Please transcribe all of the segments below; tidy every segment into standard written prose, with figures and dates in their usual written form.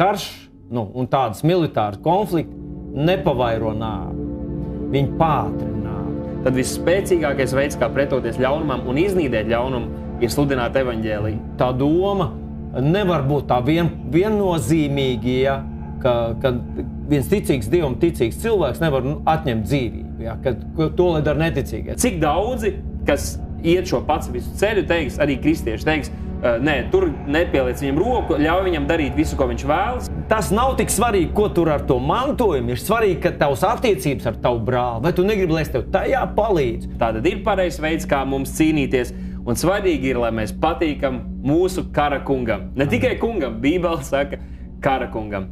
karš un tādas militāras konflikti nepavairo nāvi. Viņi pātrina nāvi. Tad visspēcīgākais veids, kā pretoties ļaunumam un iznīdēt ļaunumu, ir sludināt evaņģēliju. Tā doma nevar būt tā viennozīmīgi, ka viens ticīgs Dievam ticīgs cilvēks nevar atņemt dzīvību, ka to lai dara neticīgais. Cik daudzi, kas iet šo pacifisku ceļu, teiks, arī kristieši teiks, nē, tur nepieliec viņam roku, ļauj viņam darīt visu, ko viņš vēlas. Tas nav tik svarīgi, ko tur ar to mantojumu. Ir svarīgi, ka tavs attiecības ar tavu brāli, vai tu negribi, lai es tev tajā palīdzu. Tātad ir pareizs veids, kā mums cīnīties, un svarīgi ir, lai mēs patīkam mūsu kara kungam. Ne tikai kungam, Bībele saka kara kungam.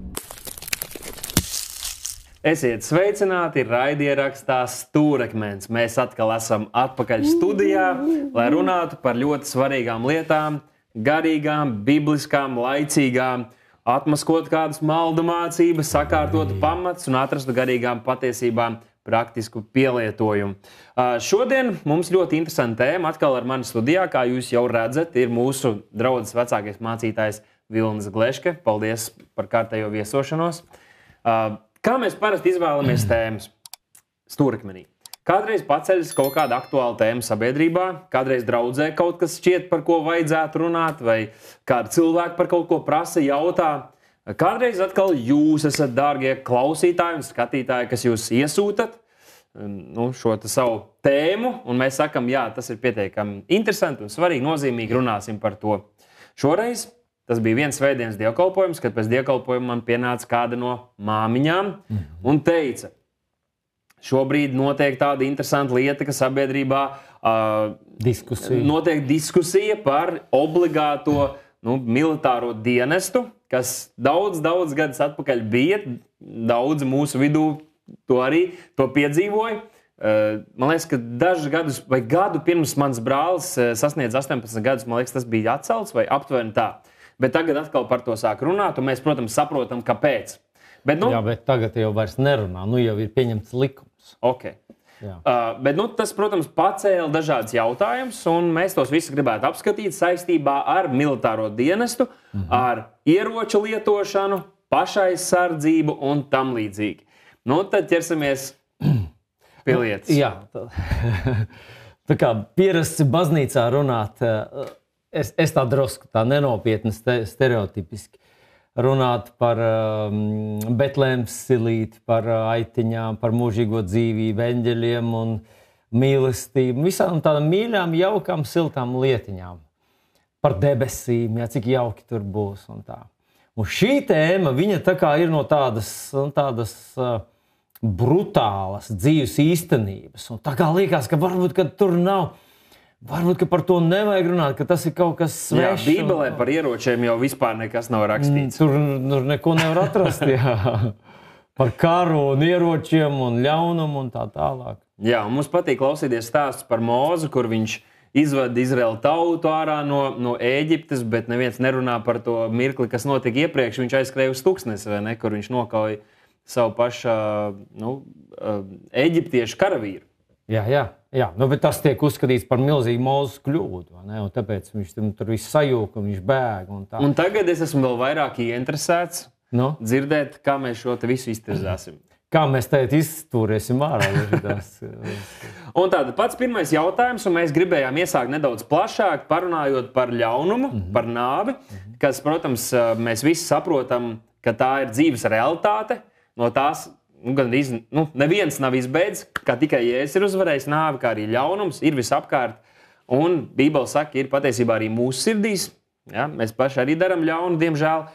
Esiet sveicināti, raidierakstā Stūrakmens. Mēs atkal esam atpakaļ studijā, lai runātu par ļoti svarīgām lietām, garīgām, bibliskām, laicīgām, atmaskot kādas maldu mācības, sakārtot pamats un atrastu garīgām patiesībām praktisku pielietojumu. Šodien mums ļoti interesanta tēma. Atkal ar mani studijā, kā jūs jau redzat, ir mūsu draudzes vecākais mācītājs Vilnis Gleške. Paldies par kārtējo viesošanos. Kā mēs parasti izvēlamies tēmas Stūrakmenī? Kādreiz paceļas kaut kāda aktuāla tēma sabiedrībā, kādreiz draudzē kaut kas šķiet, par ko vajadzētu runāt, vai kādi cilvēki par kaut ko prasa, jautā. Kādreiz atkal jūs esat, dārgie klausītāji un skatītāji, kas jūs iesūtat šo savu tēmu, un mēs sakam, jā, tas ir pietiekami interesanti un svarīgi, nozīmīgi, runāsim par to. Šoreiz tas bija viens svētdienas dievkalpojums, kad pēc dievkalpojuma man pienāca kāda no māmiņām un teica, šobrīd notiek tāda interesanta lieta, ka sabiedrībā notiek diskusija par obligāto militāro dienestu, kas daudz gadus atpakaļ bija. Daudzi mūsu vidū to piedzīvoja. Man liekas, ka dažus gadus vai gadu pirms mans brālis sasniedz 18 gadus, man liekas, tas bija atcelts vai aptuveni tā. Bet tagad atkal par to sāk runāt, un mēs, protams, saprotam, kāpēc. Bet tagad jau vairs nerunā, jau ir pieņemts likums. Okay. Bet tas, protams, pacēla dažādas jautājumus, un mēs tos visus gribētu apskatīt saistībā ar militāro dienestu, ar ieroču lietošanu, pašaizsardzību un tam līdzīgi. Tad ķersimies pie lietas. Jā, tā kā pierasts baznīcā runāt, es tā drusku tā nenopietni stereotipiski runāt par Betlēmas silīti, par aitiņām, par mūžīgo dzīvību, eņģeļiem un mīlestību, visām tādām mīļām, jaukām, siltām lietiņām. Par debesīm, cik jauki tur būs un tā. Un šī tēma, viņa tā kā ir no tādas brutālas dzīves īstenības. Un tā kā liekas, ka varbūt, ka tur nav... Varbūt, ka par to nevajag runāt, ka tas ir kaut kas svešs. Jā, Bībelē par ieročiem jau vispār nekas nav rakstīts. Tur neko nevar atrast, jā. Par karu un ieročiem un ļaunumu un tā tālāk. Jā, un mums patīk klausīties stāstus par Mozu, kur viņš izvada Izraēlu tautu ārā no Ēģiptes, bet neviens nerunā par to mirkli, kas notika iepriekš. Viņš aizskrēja uz tuksnesi, vai ne, kur viņš nokauja savu pašu eģiptiešu karavīru. Jā, bet tas tiek uzskatīts par milzīgu Mozes kļūdu, un tāpēc viņš tur viss sajūka un viņš bēg. Un tagad es esmu vēl vairāk ieinteresēts dzirdēt, kā mēs šo te visu iztirzāsim. Kā mēs tagad izturēsim ārā. Un tātad pats pirmais jautājums, un mēs gribējām iesākt nedaudz plašāk, parunājot par ļaunumu, par nāvi, kas, protams, mēs visi saprotam, ka tā ir dzīves realitāte, no tās neviens nav izbeidzis, kā tikai Jēzus ir uzvarējis nāvi, kā arī ļaunums ir visapkārt. Un Bībele saka, ir patiesībā arī mūsu sirdīs. Ja? Mēs paši arī darām ļaunu, diemžēl.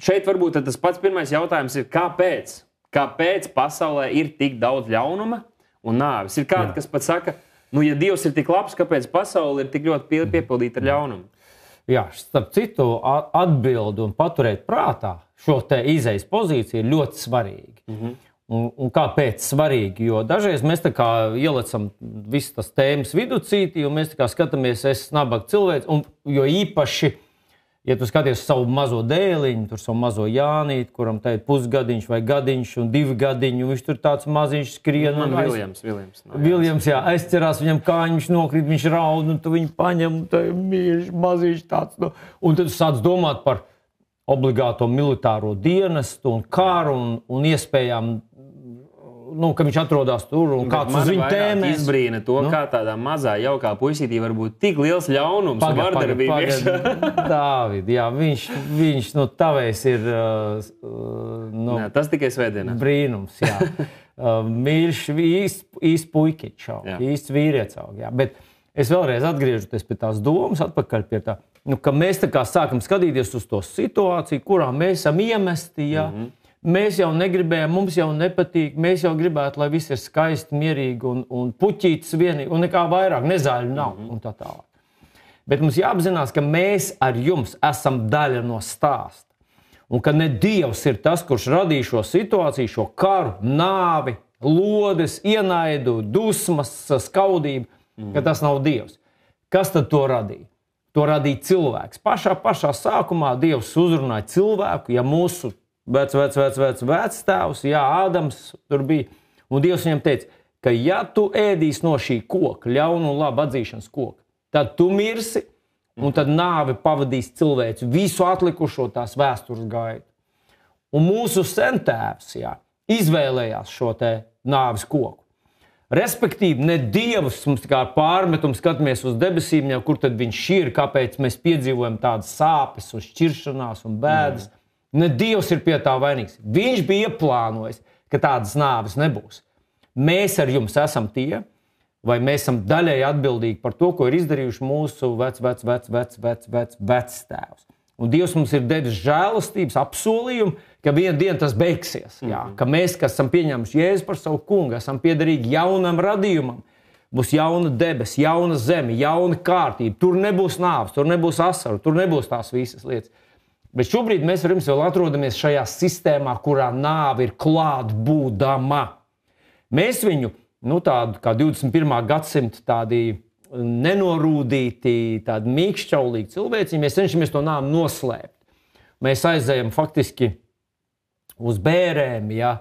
Šeit varbūt tas pats pirmais jautājums ir, kāpēc? Kāpēc pasaulē ir tik daudz ļaunuma un nāvis? Ir kādi, kas pat saka, ja Dievs ir tik labs, kāpēc pasaule ir tik ļoti piepildīta ar ļaunumu? Jā, starp citu, atbildi un paturēt prātā šo te izejas pozīciju ir ļoti svarīgi. Un kāpēc svarīgi? Jo dažreiz mēs tā kā ielecam visas tas tēmas viducītī, un mēs tā kā skatāmies, es nabaga cilvēks, jo īpaši, ja tu skaties savu mazo dēliņu, tur savu mazo Jānīti, kuram tā ir pusgadiņš vai gadiņš un 2 gadiņu, viņš tur tāds maziņš skrien. Viljams, jā, aizcerās viņam kāņu, viņš nokrīt, viņš raud, un tu viņu paņem, un tā ir mīļš, maziņš tāds. Un tad tu sāc domāt par obligāto militāro dienestu un karu un iespējām, ka viņš atrodas tur un kāds uz viņu tēmēs. Izbrīna to, kā tādā mazā jaukā puisītī var būt tik liels ļaunums un vardarbības. Dāvid, jā, viņš tavējs ir tas tikai svētdienā. Brīnums, jā. Mīļš, īsts puikiņš, īsts vīrietis. Bet es vēlreiz atgriežoties pie tās domas, atpakaļ pie tā, ka mēs tā kā sākam skatīties uz to situāciju, kurā mēs esam iemesti, jā. Mēs jau negribējām, mums jau nepatīk, mēs jau gribētu, lai viss ir skaisti, mierīgi un puķītis vienīgi, un nekā vairāk, nezaļu nav, un tā tālāk. Bet mums jāapzinās, ka mēs ar jums esam daļa no stāsta. Un ka ne Dievs ir tas, kurš radīja šo situāciju, šo karu, nāvi, lodes, ienaidu, dusmas, skaudību, ka tas nav Dievs. Kas tad to radīja? To radīja cilvēks. Pašā sākumā Dievs uzrunāja cilvēku, ja mūsu vectēvs, jā, Ādams tur bija, un Dievs viņam teica, ka ja tu ēdīsi no šī koka, ļaunu un labu atzīšanas koka, tad tu mirsi, un tad nāve pavadīs cilvēci visu atlikušo tās vēstures gaitu. Un mūsu sentēvs, jā, izvēlējās šo te nāves koku. Respektīvi, ne Dievs mums kā pārmetum skatāmies uz debesīm, jau kur tad viņš ir, kāpēc mēs piedzīvojam tādas sāpes un šķiršanās un bēdas. Ne Dievs ir pie tā vainīgs. Viņš bija ieplānojis, ka tādas nāves nebūs. Mēs ar jums esam tie, vai mēs esam daļēji atbildīgi par to, ko ir izdarījuši mūsu vectēvs. Un Dievs mums ir devis žēlastības apsolījumu, ka vienu dienu tas beigsies. Jā, ka mēs, kas esam pieņēmuši Jēzu par savu kungu, esam piederīgi jaunam radījumam. Būs jauna debes, jauna zeme, jauna kārtība. Tur nebūs nāves, tur nebūs asaru, tur nebūs tās visas lietas. Bet šobrīd mēs ar jums vēl atrodamies šajā sistēmā, kurā nāve ir klāt būdama. Mēs viņu, tādu kā 21. gadsimta tādi nenorūdīti, tādi mīkšķaulīgi cilvēci, mēs cenšamies to nāvi noslēpt. Mēs aizējam faktiski uz bērēm, ja,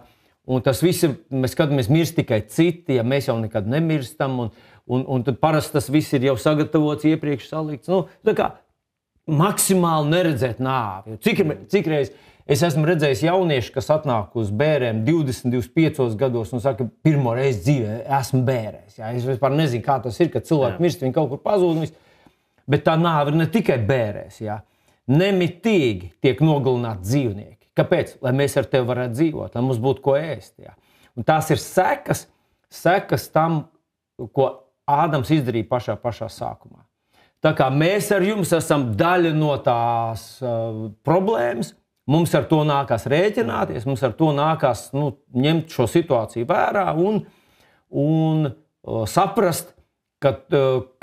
un tas viss ir, mēs skatāmies mirst tikai citi, ja mēs jau nekad nemirstam, un tad parasti tas viss ir jau sagatavots, iepriekš salikts. Tā kā maksimāli neredzēt nāvi. Cik reiz es esmu redzējis jauniešu, kas atnāk uz bērēm 20, 25 gados un saka, pirmo reizi dzīvē esmu bērēs. Jā, es vispār nezinu, kā tas ir, kad cilvēki mirst, viņi kaut kur pazūd. Bet tā nāve ir ne tikai bērēs. Jā. Nemitīgi tiek nogalināti dzīvnieki. Kāpēc? Lai mēs ar tevi varētu dzīvot, lai mums būtu ko ēst. Jā. Un tās ir sekas tam, ko Ādams izdarīja pašā sākumā. Tā kā mēs ar jums esam daļa no tās problēmas, mums ar to nākās rēķināties, mums ar to nākās ņemt šo situāciju vērā un saprast, ka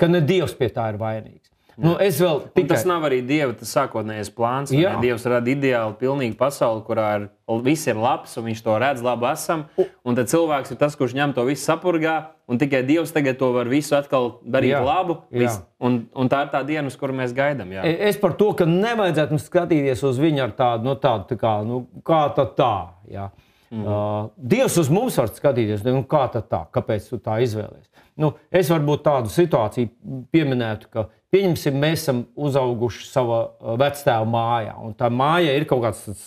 ne Dievs pie tā ir vainīgs. Tas nav arī Dieva sākotnējais plāns. Dievs rada ideāli pilnīgu pasauli, kurā viss ir labs, un viņš to redz, labi esam. Un tad cilvēks ir tas, kurš ņem to visu sapurgā, un tikai Dievs tagad to var visu atkal darīt labu. Un tā ir tā diena, uz kuru mēs gaidām. Jā. Es par to, ka nevajadzētu mums skatīties uz viņu ar tādu, kā tad tā. Jā. Dievs uz mums var skatīties, kā tad tā, kāpēc tu tā izvēlies. Es varbūt tādu situāciju pieminētu, ka pieņemsim, mēs esam uzauguši savā vectēva mājā, un tā māja ir kaut kāds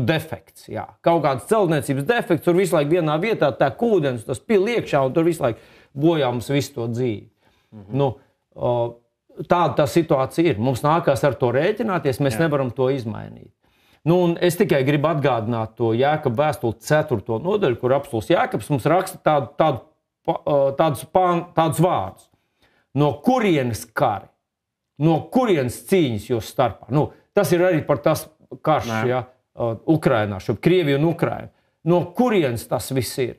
defekts. Jā. Kaut kāds celtniecības defekts, tur visu laiku vienā vietā tā ūdens, tas pil iekšā, un tur visu laiku bojā mums visu to dzīvi. Tāda tā situācija ir. Mums nākās ar to rēķināties, mēs nevaram to izmainīt. Un es tikai gribu atgādināt to Jēkaba vēstuli 4. nodaļu, kur apostuls Jēkabs mums raksta tādus vārdus. No kurienes kari? No kurienes cīņas jūs starpā? Tas ir arī par tas karš Ukrainā, Krievija un Ukraina. No kurienes tas viss ir?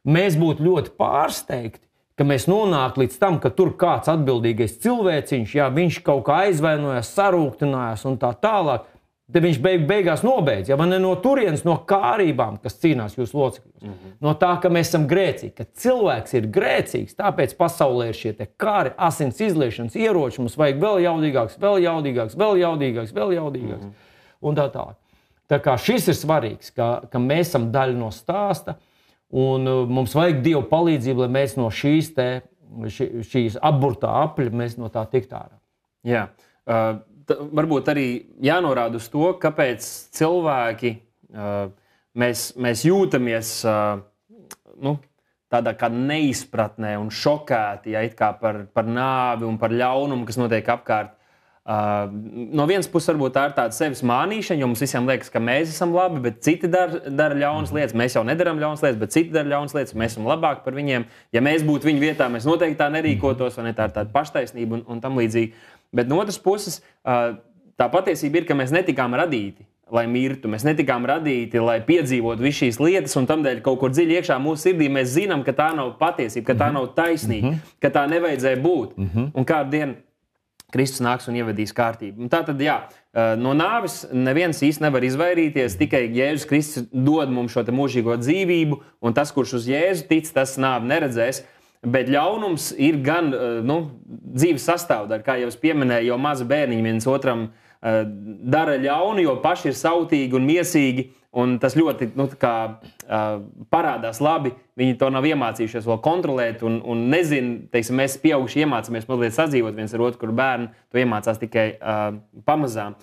Mēs būtu ļoti pārsteigti, ka mēs nonāktu līdz tam, ka tur kāds atbildīgais cilvēciņš, viņš kaut kā aizvainojās, sarūktinājās un tā tālāk. Tad viņš beigās nobeidz, vai ne no turienes, no kārībām, kas cīnās jūsu locekļos. No tā, ka mēs esam grēcīgi, ka cilvēks ir grēcīgs, tāpēc pasaulē ir šie kāri, asins izliešanas ieroči, mums vajag vēl jaudīgāks, un tā tālāk. Tā kā šis ir svarīgs, ka mēs esam daļa no stāsta, un mums vajag Dieva palīdzību, lai mēs no šīs apburtā apļa, mēs no tā tikt ārā. Jā. varbūt arī jānorāda uz to, kāpēc cilvēki mēs jūtamies tādā kā neizpratnē un šokēti, it kā par nāvi un par ļaunumu, kas notiek apkārt. No vienas puses, varbūt tā ir tāda sevis mānīšana, jo mums visiem liekas, ka mēs esam labi, bet citi dara ļaunas lietas. Mēs jau nedaram ļaunas lietas, bet citi dara ļaunas lietas, mēs esam labāki par viņiem. Ja mēs būtu viņu vietā, mēs noteikti tā nerīkotos, vai ne, tā ir tāda paštaisnība un tam līdzīgi. Bet no otras puses, tā patiesība ir, ka mēs netikām radīti, lai mirtu. Mēs netikām radīti, lai piedzīvotu visu šīs lietas, un tamdēļ kaut kur dziļi iekšā mūsu sirdī mēs zinām, ka tā nav patiesība, ka tā nav taisnīga, ka tā nevajadzēja būt. Un kādu dienu Kristus nāks un ievedīs kārtību. Un tātad, no nāves neviens īsti nevar izvairīties, tikai Jēzus Kristus dod mums šo te mūžīgo dzīvību, un tas, kurš uz Jēzu tic, tas nāvi neredzēs. Bet ļaunums ir gan dzīves sastāvdaļa, kā jau es pieminēju, jo mazi bērniņi viens otram dara ļaunu, jo paši ir sautīgi un miesīgi, un tas ļoti parādās labi. Viņi to nav iemācījušies vēl kontrolēt un nezin, teiksim, mēs pieauguši iemācāmies mazliet sadzīvot viens ar otru, kur bērni to iemācās tikai pamazām.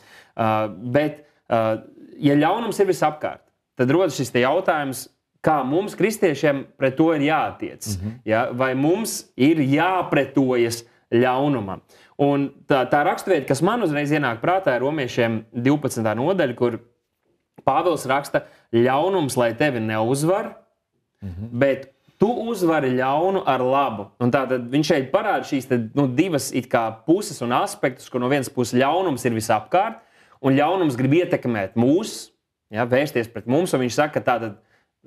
Bet, ja ļaunums ir visapkārt, tad rodas šis te jautājums, kā mums, kristiešiem, pret to ir jātiec. Ja? Vai mums ir jāpretojas ļaunumam? Un tā raksturvieta, kas man uzreiz ienāk prātā, ir Romiešiem 12. nodaļa, kur Pāvils raksta, ļaunums, lai tevi neuzvar, bet tu uzvari ļaunu ar labu. Un tātad viņš šeit parāda šīs divas it kā puses un aspektus, kur no vienas puses ļaunums ir visapkārt, un ļaunums grib ietekmēt mūs, vērsties pret mums, un viņš saka, tātad,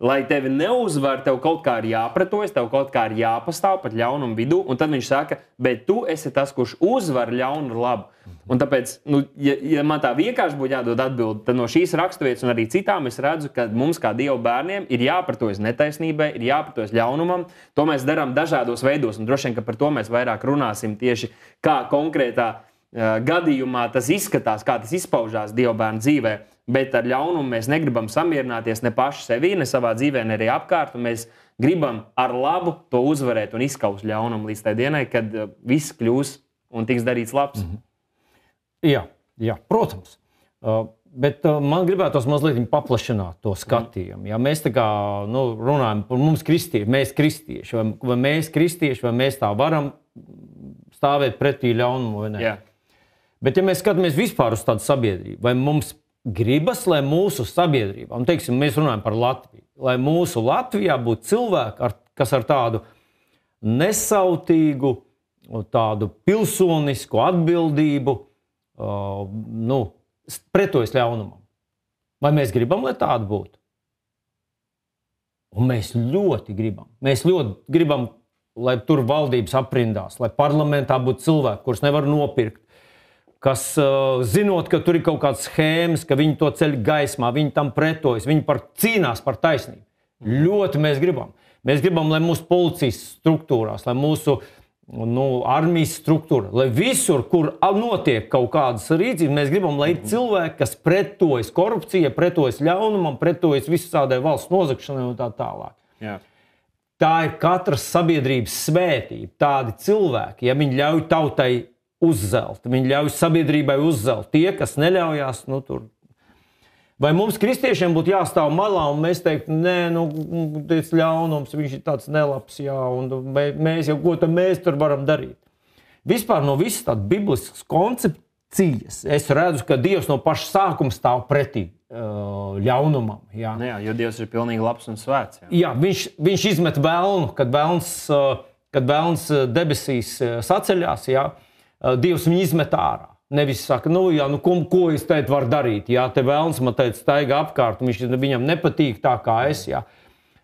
lai tevi neuzvar, tev kaut kā ir jāpretojas, tev kaut kā ir jāpastāv pat ļaunumu vidū, un tad viņš saka, bet tu esi tas, kurš uzvar ļaunu ar labu. Un tāpēc, ja man tā vienkārši būtu jādod atbildi, tad no šīs raksturvietas un arī citām es redzu, ka mums kā Dieva bērniem ir jāpretojas netaisnībai, ir jāpretojas ļaunumam. To mēs darām dažādos veidos, un droši vien, ka par to mēs vairāk runāsim tieši kā konkrētā gadījumā tas izskatās, kā tas izpaužās Dieva bērnu dzīvē. Bet ar ļaunumu mēs negribam samierināties ne paši sevī, ne savā dzīvē, ne arī apkārt, un mēs gribam ar labu to uzvarēt un izskaust ļaunumu līdz tai dienai, kad viss kļūs un tiks darīts labs. Jā, protams. Bet man gribētos mazliet paplašināt to skatījumu. Ja mēs tā kā runājam par mums kristieši, vai mēs kristieši, vai mēs tā varam stāvēt pretī ļaunumu vai ne? Jā. Bet ja mēs skatāmies vispār uz tādu sabiedrību, vai mums gribas, lai mūsu sabiedrībā, un teiksim, mēs runājam par Latviju, lai mūsu Latvijā būtu cilvēki, kas ar tādu nesautīgu, tādu pilsonisku atbildību pretojas ļaunumam. Vai mēs gribam, lai tāda būtu? Un mēs ļoti gribam. Mēs ļoti gribam, lai tur valdības aprindās, lai parlamentā būtu cilvēki, kurus nevar nopirkt, kas zinot, ka tur ir kaut kādas schēmas, ka viņi to ceļ gaismā, viņi tam pretojas, viņi cīnās par taisnību. Ļoti mēs gribam. Mēs gribam, lai mūsu policijas struktūrās, lai mūsu armijas struktūra, lai visur, kur notiek kaut kādas rīcības, mēs gribam, lai ir cilvēki, kas pretojas korupcijai, pretojas ļaunumam, pretojas visādai valsts nozagšanai un tā tālāk. Jā. Tā ir katras sabiedrības svētība. Tādi cilvēki, ja viņi ļauj tautai uzzelt, viņi ļauj sabiedrībai uzzelt. Tie, kas neļaujās, tur. Vai mums kristiešiem būtu jāstāv malā un mēs teiktu, nē, tas ļaunums, viņš ir tāds nelabs, jā, un mēs jau ko tad mēs tur varam darīt. Vispār no visas tādas bibliskas koncepcijas es redzu, ka Dievs no paša sākuma stāv pretī ļaunumam. Jā. Jā, jo Dievs ir pilnīgi labs un svēts. Jā, viņš izmet vēlnu, kad vēlns debesīs saceļās, jā, Dievs viņu izmet ārā. Nevis saka, ko es teikt varu darīt, jā, te vēlns man teica staigā apkārt, un viņam nepatīk tā kā es, jā.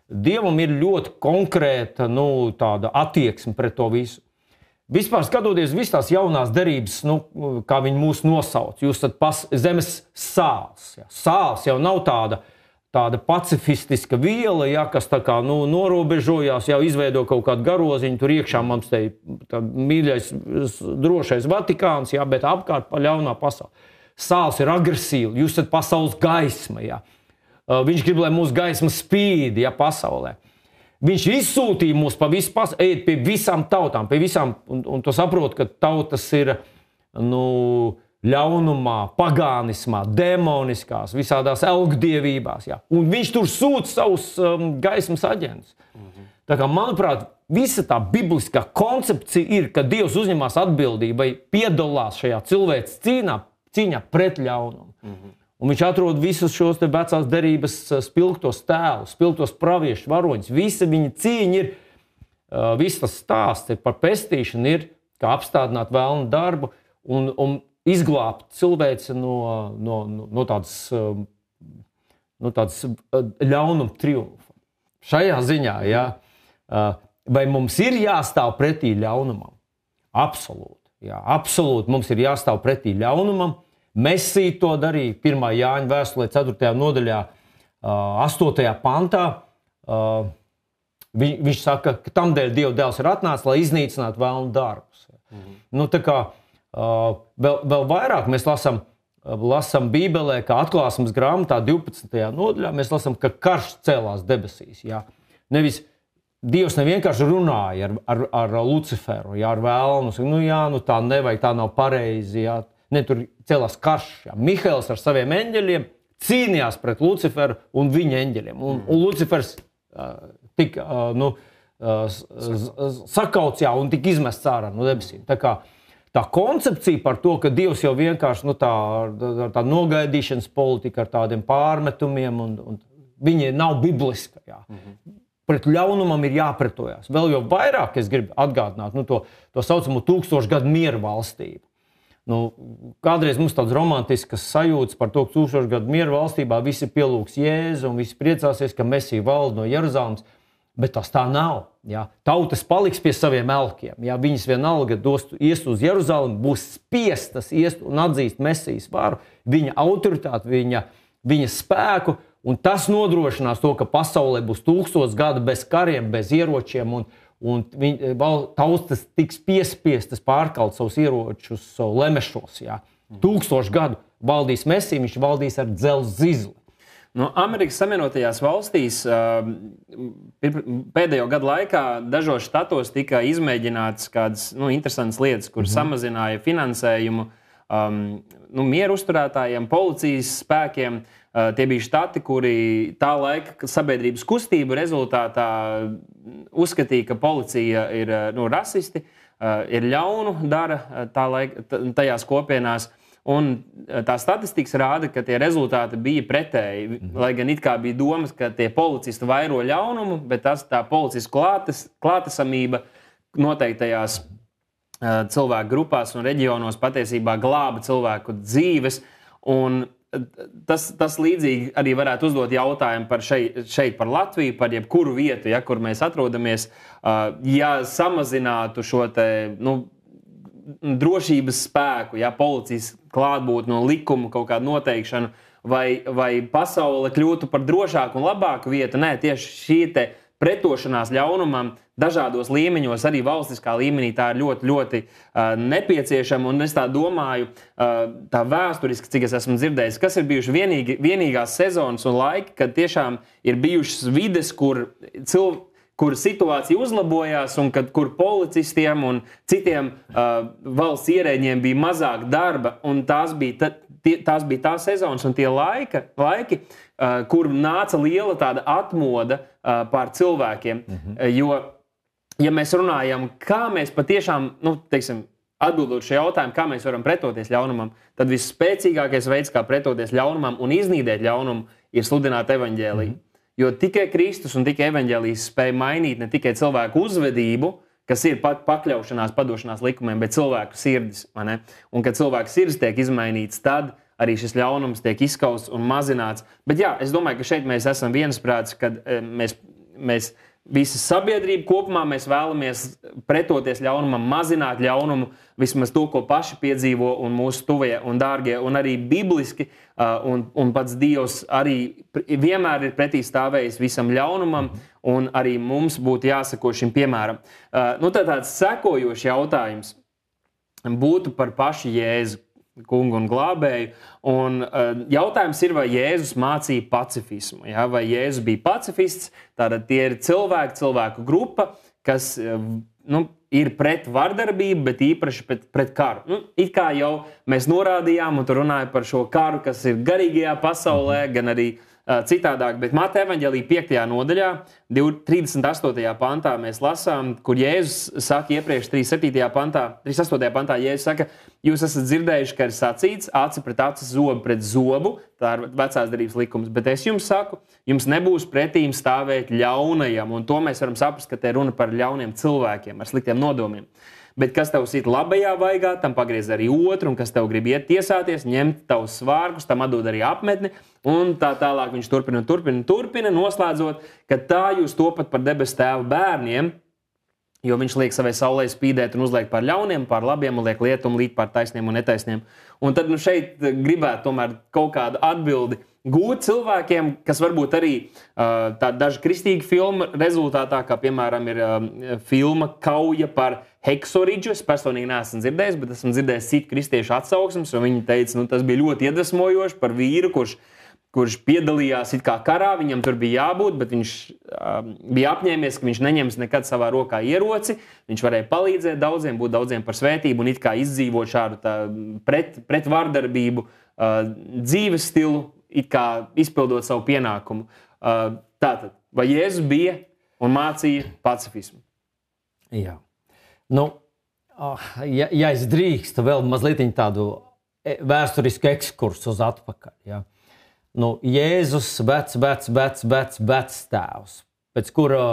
Dievam ir ļoti konkrēta, tāda attieksme pret to visu. Vispār skatoties visas tās jaunās derības, kā viņi mūs nosauc, jūs esat zemes sāls, jā. Sāls jau nav tāda pacifistiska viela, jā, kas tā kā norobežojās, jau izveido kaut kādu garoziņu, tur iekšā mums te mīļais, drošais Vatikāns, jā, bet apkārt ļaunā pasaule. Sāls ir agresīva, jūs esat pasaules gaisma, jā. Viņš grib, lai mūsu gaisma spīd, jā, pasaulē. Viņš izsūtīja mūs pa visu pasauli, ejiet pie visām tautām, pie visām, un to saprot, ka tautas ir, ļaunumā, pagānismā, demoniskās, visādās elgdievībās. Jā. Un viņš tur sūta savus gaismas aģentus. Tā kā, manuprāt, visa tā bibliskā koncepcija ir, ka Dievs uzņemās atbildību vai piedalās šajā cilvēces cīņā pret ļaunumu. Un viņš atrod visus šos te vecās derības spilgtos tēlus, spilgtos praviešu varoņus. Visa viņa cīņa ir, viss tas stāsts par pestīšanu ir, kā apstādināt vēlnu darbu un izglābt cilvēci no tādas ļaunuma triumfa. Šajā ziņā, jā, vai mums ir jāstāv pretī ļaunumam? Absolūti. Jā, absolūti mums ir jāstāv pretī ļaunumam. Mesija to darīja 1. Jāņa vēstulē 4. nodaļā 8. pantā. Viņš saka, ka tamdēļ Dieva dēls ir atnācis, lai iznīcinātu vēlnu darbus. Nu, tā kā vēl vairāk mēs lasām Bībelē, kā Atklāsmes grāmatā 12. nodaļā, mēs lasām, ka karš cēlās debesīs. Jā. Nevis Dievs nevienkārši runāja ar Luciferu, jā, ar vēlnu. Nu tā nevajag, tā nav pareizi. Jā. Ne, tur cēlās karš. Jā. Mihails ar saviem eņģeļiem cīnījās pret Luciferu un viņa eņģeļiem. Un Lucifers tika sakauts, jā, un tika izmests ārā no debesīm. Tā kā tā koncepcija par to, ka Dievs jau vienkārši tā nogaidīšanas politika ar tādiem pārmetumiem, un viņi nav bibliska. Jā. Pret ļaunumam ir jāpretojās. Vēl jau vairāk es gribu atgādināt to saucamo 1000 gadu mieru valstību. Kādreiz mums tāds romantiskas sajūtas par to, ka 1000 gadu mieru valstībā visi pielūgs Jēzu un visi priecāsies, ka Mesija valda no Jeruzalemes, bet tas tā nav. Jā. Tautas paliks pie saviem elkiem. Jā. Viņas vienalga ies uz Jeruzalemi, būs spiestas iest un atzīst Mesijas varu, viņa autoritāti, viņa spēku, un tas nodrošinās to, ka pasaulē būs 1000 gadu bez kariem, bez ieročiem, un tautas tiks piespiestas pārkalt savus ieročus lemešos. Jā. 1000 gadu valdīs Mesija, viņš valdīs ar dzelzs zizli. No Amerikas Savienotajās valstīs pēdējo gadu laikā dažos štatos tika izmēģināts kādas interesantas lietas, kur samazināja finansējumu mieru uzturētājiem, policijas spēkiem. Tie bija štati, kuri tā laika sabiedrības kustību rezultātā uzskatīja, ka policija ir rasisti, ir ļaunu dara tajās kopienās. Un tā statistikas rāda, ka tie rezultāti bija pretēji. Lai gan it kā bija domas, ka tie policisti vairo ļaunumu, bet tā policijas klātesamība noteiktajās cilvēku grupās un reģionos patiesībā glāba cilvēku dzīves. Un tas līdzīgi arī varētu uzdot jautājumu par šeit par Latviju, par jebkuru vietu, ja, kur mēs atrodamies. Ja samazinātu šo drošības spēku, ja, policijas klātbūtni no likuma kaut kādu noteikšanu, vai pasaule kļūtu par drošāku un labāku vietu. Nē, tieši šī pretošanās ļaunumam dažādos līmeņos, arī valstiskā līmenī, tā ir ļoti, ļoti nepieciešama. Un es tā domāju, tā vēsturiski, cik es esmu dzirdējis, kas ir bijuši vienīgās sezonas un laiki, kad tiešām ir bijušas vides, kur situācija uzlabojās un kur policistiem un citiem valsts ierēģiem bija mazāk darba, un tās bija tās sezonas un tie laiki, kur nāca liela tāda atmoda pār cilvēkiem. Jo, ja mēs runājam, kā mēs patiešām, atbildot šo jautājumu, kā mēs varam pretoties ļaunumam, tad visspēcīgākais veids, kā pretoties ļaunumam un iznīdēt ļaunumu, ir sludināt evaņģēliju. Jo tikai Kristus un tikai evaņģēlijs spēja mainīt ne tikai cilvēku uzvedību, kas ir pakļaušanās, padošanās likumiem, bet cilvēku sirdis. Un, kad cilvēku sirdis tiek izmainīts, tad arī šis ļaunums tiek izskausts un mazināts. Bet jā, es domāju, ka šeit mēs esam viensprāts, kad mēs visa sabiedrība kopumā mēs vēlamies pretoties ļaunumam, mazināt ļaunumu, vismaz to, ko paši piedzīvo un mūsu tuvie un dārgie, un arī bibliski, un pats Dievs arī vienmēr ir pretī stāvējis visam ļaunumam, un arī mums būtu jāsako šim piemēram. Tāds sekojošs jautājums būtu par pašu Jēzu, kungu un glābēju. Un jautājums ir, vai Jēzus mācīja pacifismu. Ja? Vai Jēzus bija pacifists? Tātad tie ir cilvēku grupa, kas ir pret vardarbību, bet īpaši pret karu. It kā jau mēs norādījām, un tu runāji par šo karu, kas ir garīgajā pasaulē, gan arī citādāk, bet Mateja evaņģēlija 5. nodaļā, 38. pantā mēs lasām, kur Jēzus saka iepriekš 38. pantā, Jēzus saka, jūs esat dzirdējuši, ka ir sacīts, aci pret aci, zobu pret zobu, tā ir vecās derības likums, bet es jums saku, jums nebūs pretīm stāvēt ļaunajam, un to mēs varam saprast, ka te runa par ļauniem cilvēkiem ar sliktiem nodomiem. Bet kas tev sit labajā vaigā, tam pagriez arī otru, un kas tev grib iet tiesāties, ņemt tavus svārkus, tam atdod arī apmetni, un tā tālāk viņš turpina, noslēdzot, ka tā jūs topat par debesu tēva bērniem, jo viņš liek savai saulē spīdēt un uzliek par ļauniem, par labiem, un liek lietumu līt par taisniem un netaisniem. Un tad šeit gribētu tomēr kaut kādu atbildi gūt cilvēkiem, kas varbūt arī daži kristīgi filmu rezultātā, kā piemēram ir filma Kauja par Heksoridžu. Es personīgi neesmu dzirdējis, bet esmu dzirdējis citu kristiešu atsauksmes, un viņi teica, tas bija ļoti iedvesmojoši par vīru, kurš piedalījās it kā karā, viņam tur bija jābūt, bet viņš bija apņēmies, ka viņš neņems nekad savā rokā ieroci, viņš varēja palīdzēt daudziem, būt daudziem par svētību un it kā izdzīvot šādu pret vardarbību dzīves stilu, it kā izpildot savu pienākumu. Tātad, vai Jēzus bija un mācīja pacifismu? Jā. Ja es drīkstu vēl mazliet tādu vēsturisku ekskursu uz atpakaļ. Ja. Jēzus vecs tēvs, pēc kura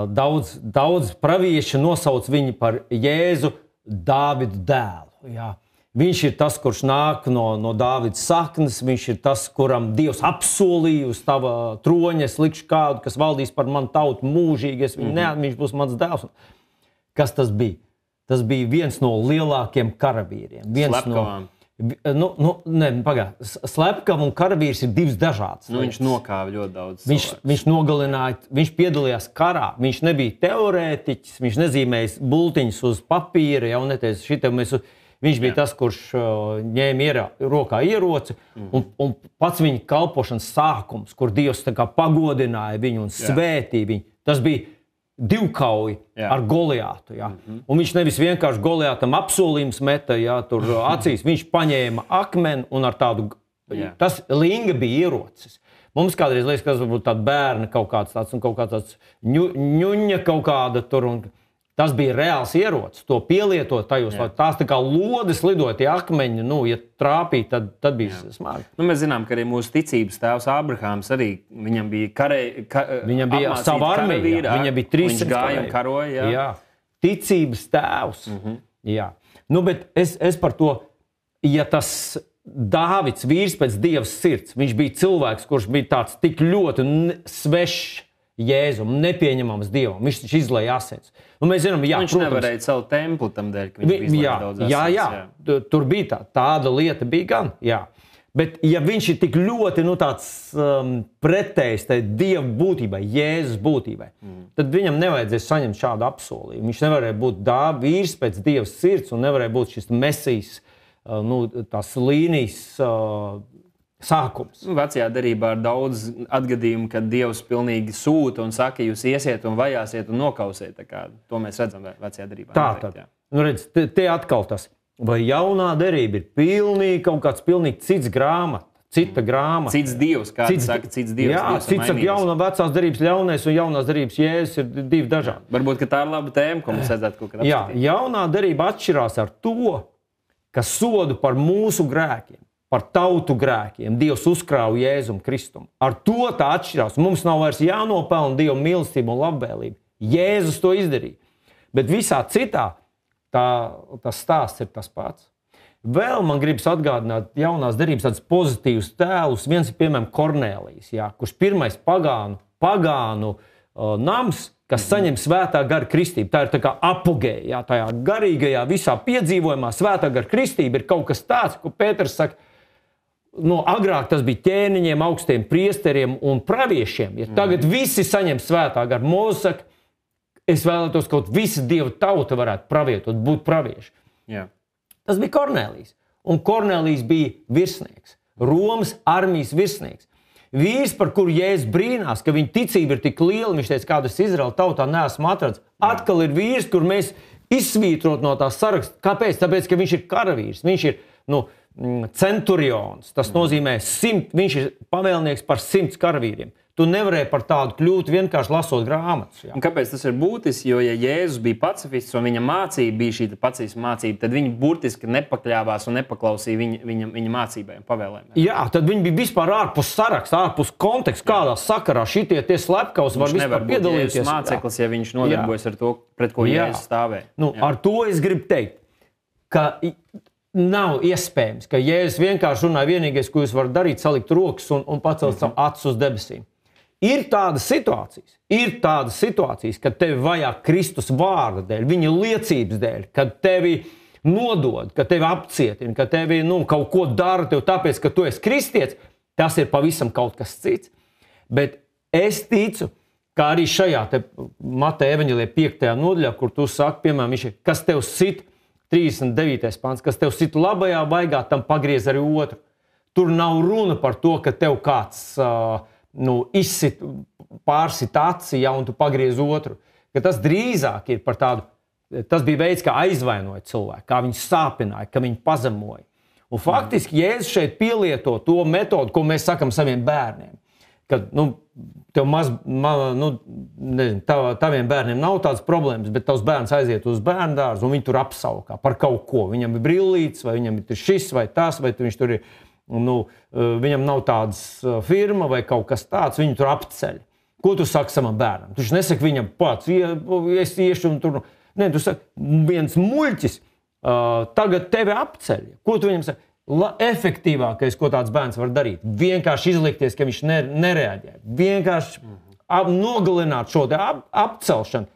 daudz pravieši nosauc viņu par Jēzu Dāvidu dēlu. Ja. Viņš ir tas, kurš nāk no Dāvida saknes, viņš ir tas, kuram Dievs apsolīja uz tava troņa, es likšu kādu, kas valdīs par manu tautu mūžīgi, viņš būs mans dēls. Kas tas bija? Tas bija viens no lielākiem karavīriem. Slepkavām. Slepkava un karavīrs ir divas dažādas. Viņš nokāva ļoti daudz cilvēkus. Viņš nogalināja, viņš piedalījās karā. Viņš nebija teorētiķis, viņš nezīmēja bultiņus uz papīra, viņš bija tas, kurš ņēma rokā ieroci, un pats viņa kalpošanas sākums, kur Dievs pagodināja viņu un svētīja viņu. Tas bija divkauja ar Goliātu. Ja. Un viņš nevis vienkārši Goliātam apsolījums meta tur acīs, viņš paņēma akmeni un ar tādu, tas linga bija ierocis. Mums kādreiz liekas, ka tas varbūt tāda bērna kaut kāds tāds un kaut kāds tāds ņuņa kaut kāda tur. Un tas bija reāls ierocis, to pielietot tajos, lai tās tā kā lodes lidoja tie akmeņi, ja trāpīja, tad bija smagi. Mēs zinām, ka arī mūsu ticības tēvs Ābrahāms arī, viņam bija viņam bija sava armija, viņam bija 300 viņš gāja un karoja. Jā. Ticības tēvs. Jā. Bet es par to, ja tas Dāvids vīrs pēc Dievas sirds, viņš bija cilvēks, kurš bija tāds tik ļoti svešs Jēzum, nepieņemams Dievam. Viņš taču izlēja asins. Mēs zinām, viņš nevarēja savu templi tam dēļ, ka viņš izlēja daudz asins. Jā. Tur bija tāda lieta bija gan. Jā. Bet ja viņš ir tik ļoti tāds pretējs tai Dieva būtībai, Jēzus būtībai, tad viņam nevajadzēs saņemt šādu apsolījumu. Viņš nevarēja būt vīrs pēc Dievas sirds un nevarēja būt šis Mesijas, tās līnijas sākums. Vecajā derībā ir daudz atgadījumu, kad Dievs pilnīgi sūta un saka, jūs iesiet un vajāsiet un nokausiet. To mēs redzam vecajā derībā. Tātad, redz, te atkal tas. Vai jaunā derība ir pilnīgi kaut kāds pilnīgi cits grāmata, cita grāmata? Cits Dievs, kāds saka, cits Dievs. Jā, cits saka, jaunā vecās derības ļaunais un jaunās derības Jēzus ir divi dažādi. Varbūt, ka tā ir laba tēma, ko mums vajadzētu kaut kad apskatīt. Jā, jaunā derība atšķirās ar to, ka sodu par mūsu grēkiem, par tautu grēkiem Dievs uzkrāva Jēzum Kristum. Ar to tā atšķirās. Mums nav vairs jānopelna Dieva mīlestība un labvēlība. Jēzus to izdarīja. Bet visā citā tas stāsts ir tas pats. Vēl man gribas atgādināt jaunās derības tādus pozitīvus tēlus. Viens ir, piemēram, Kornēlijs, kurš pirmais pagānu nams, kas saņem svētā gara kristību. Tā ir tā kā apogēja, tajā garīgajā visā piedzīvojumā. Svētā gara kristība ir kaut kas tāds, ko Pēters saka, agrāk tas bija ķēniņiem, augstiem priesteriem un praviešiem. Ja tagad visi saņem svētā gara, Mūzes saka, es vēlētos, ka visa Dieva tauta varētu pravietot, būt pravieši. Jā. Tas bija Kornēlijs. Un Kornēlijs bija virsnieks, Romas armijas virsnieks. Vīrs, par kuru Jēzus brīnās, ka viņa ticība ir tik liela, viņš teica, kādu es Izraēla tautā neesmu atrads. Atkal ir vīrs, kur mēs izsvītrot no tās saraksta. Kāpēc? Tāpēc, ka viņš ir karavīrs, viņš ir centurions. Tas nozīmē, viņš ir pavēlnieks par 100 karavīriem. Tu nevarēji par tādu kļūt vienkārši lasot grāmatas. Jā. Un kāpēc tas ir būtiski? Jo, ja Jēzus bija pacifists un viņa mācība bija šī pacifista mācība, tad viņi burtiski nepakļāvās un nepaklausīja viņa mācībai un pavēlēm. Jā, tad viņi bija vispār ārpus saraksta, ārpus konteksta, kādā sakarā šitie slepkavas var vispār piedalīties. Viņš nevar būt māceklis, ja viņš nodarbojas ar to, pret ko Jēzus stāvēja. Ar to es gribu teikt, ka nav iespējams, ka Jēzus vienkārši runāja vienīgais, ko jūs varat darīt, salikt rokas un pacelt savu acis uz debesīm. Ir tādas situācijas, kad tevi vajā Kristus vārda dēļ, viņa liecības dēļ, kad tevi nodod, kad tevi apcietina, kad tevi kaut ko dara tev tāpēc, ka tu esi kristietis, tas ir pavisam kaut kas cits. Bet es ticu, ka arī šajā Mateja evaņģēlijā 5. nodaļā, kur tu saki, piemēram, kas tev sit, 39. pants, kas tev sit labajā vaigā, tam pagriez arī otru. Tur nav runa par to, ka tev kāds izsit, pārsit aci, ja, un tu pagriez otru. Ka tas drīzāk ir par tādu, tas bija veids, kā aizvainoja cilvēku, kā viņu sāpināja, kā viņu pazemoja. Un faktiski Jēzus šeit pielieto to metodu, ko mēs sakam saviem bērniem. Kad, taviem bērniem nav tādas problēmas, bet tavs bērns aiziet uz bērndārzu un viņi tur apsaukā par kaut ko. Viņam ir brillītes, vai viņam ir šis vai tas, vai viņš tur ir, viņam nav tādas firma vai kaut kas tāds, viņu tur apceļ. Ko tu saki savam bērnam? Tu nesaki viņam pats, es iešu un tur. Nē, tu saki, viens muļķis tagad tevi apceļ. Ko tu viņam saki? Efektīvākais, ko tāds bērns var darīt, vienkārši izlikties, ka viņš nereaģē. Vienkārši nogalināt šo apcelšanu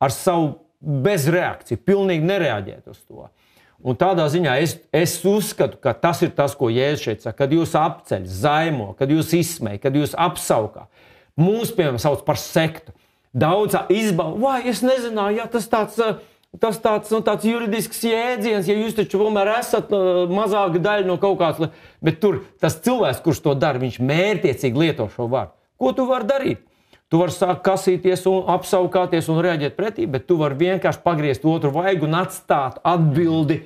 ar savu bezreakciju, pilnīgi nereaģēt uz to. Un tādā ziņā es uzskatu, ka tas ir tas, ko Jēzus šeit saka, kad jūs apceļ, zaimo, kad jūs izsmej, kad jūs apsaukā. Mūs, piemēram, sauc par sektu. Daudz izbauda, vai es nezināju, ja tas tāds juridisks jēdziens, ja jūs taču tomēr esat mazāka daļa no kaut kāds, bet tur tas cilvēks, kurš to dara, viņš mērķiecīgi lieto šo vārdu. Ko tu vari darīt? Tu vari sākt kasīties un apsaukāties un reaģēt pretī, bet tu vari vienkārši pagriezt otru vaigu un atstāt atbildi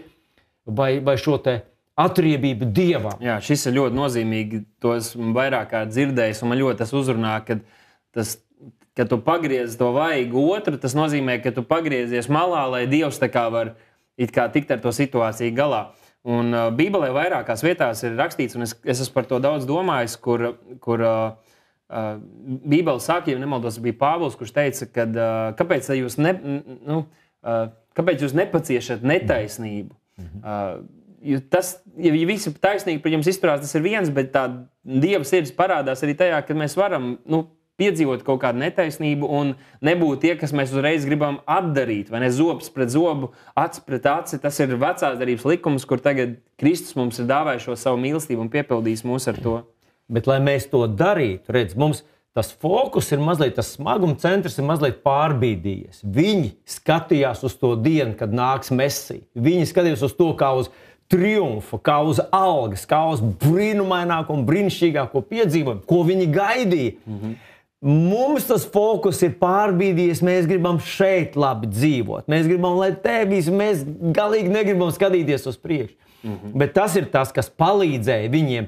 vai šo te atriebību Dievam. Jā, šis ir ļoti nozīmīgi. To esmu vairāk kā dzirdējis, un man ļoti tas uzrunā, kad tu pagriezi to vaigu otru, tas nozīmē, ka tu pagriezies malā, lai Dievs tā kā var tikt ar to situāciju galā. Un Bībelē vairākās vietās ir rakstīts, un es esmu par to daudz domājis, kur Bībele saka, ja nemaldos, bija Pāvils, kurš teica, kāpēc jūs nepaciešat netaisnību? Ja visi taisnīgi par jums izturās, tas ir viens, bet tā Dieva sirds parādās arī tajā, ka mēs varam piedzīvot kaut kādu netaisnību un nebūt tie, kas mēs uzreiz gribam atdarīt, vai ne, zobs pret zobu, aci pret aci. Tas ir vecās darbības likums, kur tagad Kristus mums ir dāvājis šo savu mīlestību un piepildījis mūs ar to. Bet, lai mēs to darītu, mums tas fokus ir mazliet, tas smaguma centrs ir mazliet pārbīdījies. Viņi skatījās uz to dienu, kad nāks Mesija. Viņi skatījās uz to kā uz triumfu, kā uz algas, kā uz brīnumaināko un brīnišķīgāko piedzīvojumu, ko viņi gaidīja. Mums tas fokus ir pārbīdījies, mēs gribam šeit labi dzīvot. Mēs gribam, lai mēs galīgi negribam skatīties uz priekšu. Bet tas ir tas, kas palīdzēja viņiem,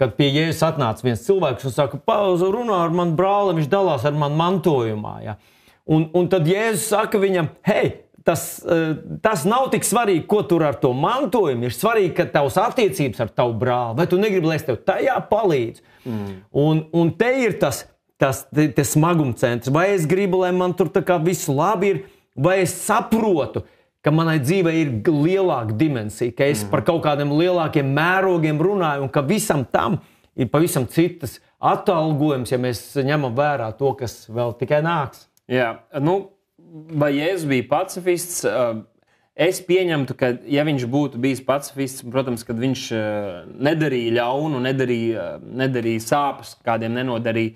kad pie Jēzus atnāca viens cilvēks un saka, runā ar manu brāli, viņš dalās ar manu mantojumā. Ja? Un tad Jēzus saka viņam, hei, tas nav tik svarīgi, ko tur ar to mantojumu. Ir svarīgi, ka tavs attiecības ar tavu brāli, vai tu negribi, lai es tev tajā palīdzu. Un te ir tas smaguma centrs. Vai es gribu, lai man tur tā kā visu labi ir, vai es saprotu, ka manai dzīvei ir lielāka dimensija, ka es par kaut kādiem lielākiem mērogiem runāju un ka visam tam ir pavisam citas atalgojums, ja mēs ņemam vērā to, kas vēl tikai nāks. Jā, vai Jēzus bija pacifists? Es pieņemtu, ka ja viņš būtu bijis pacifists, protams, kad viņš nedarīja ļaunu, nedarīja sāpes, kādiem nenodarīja,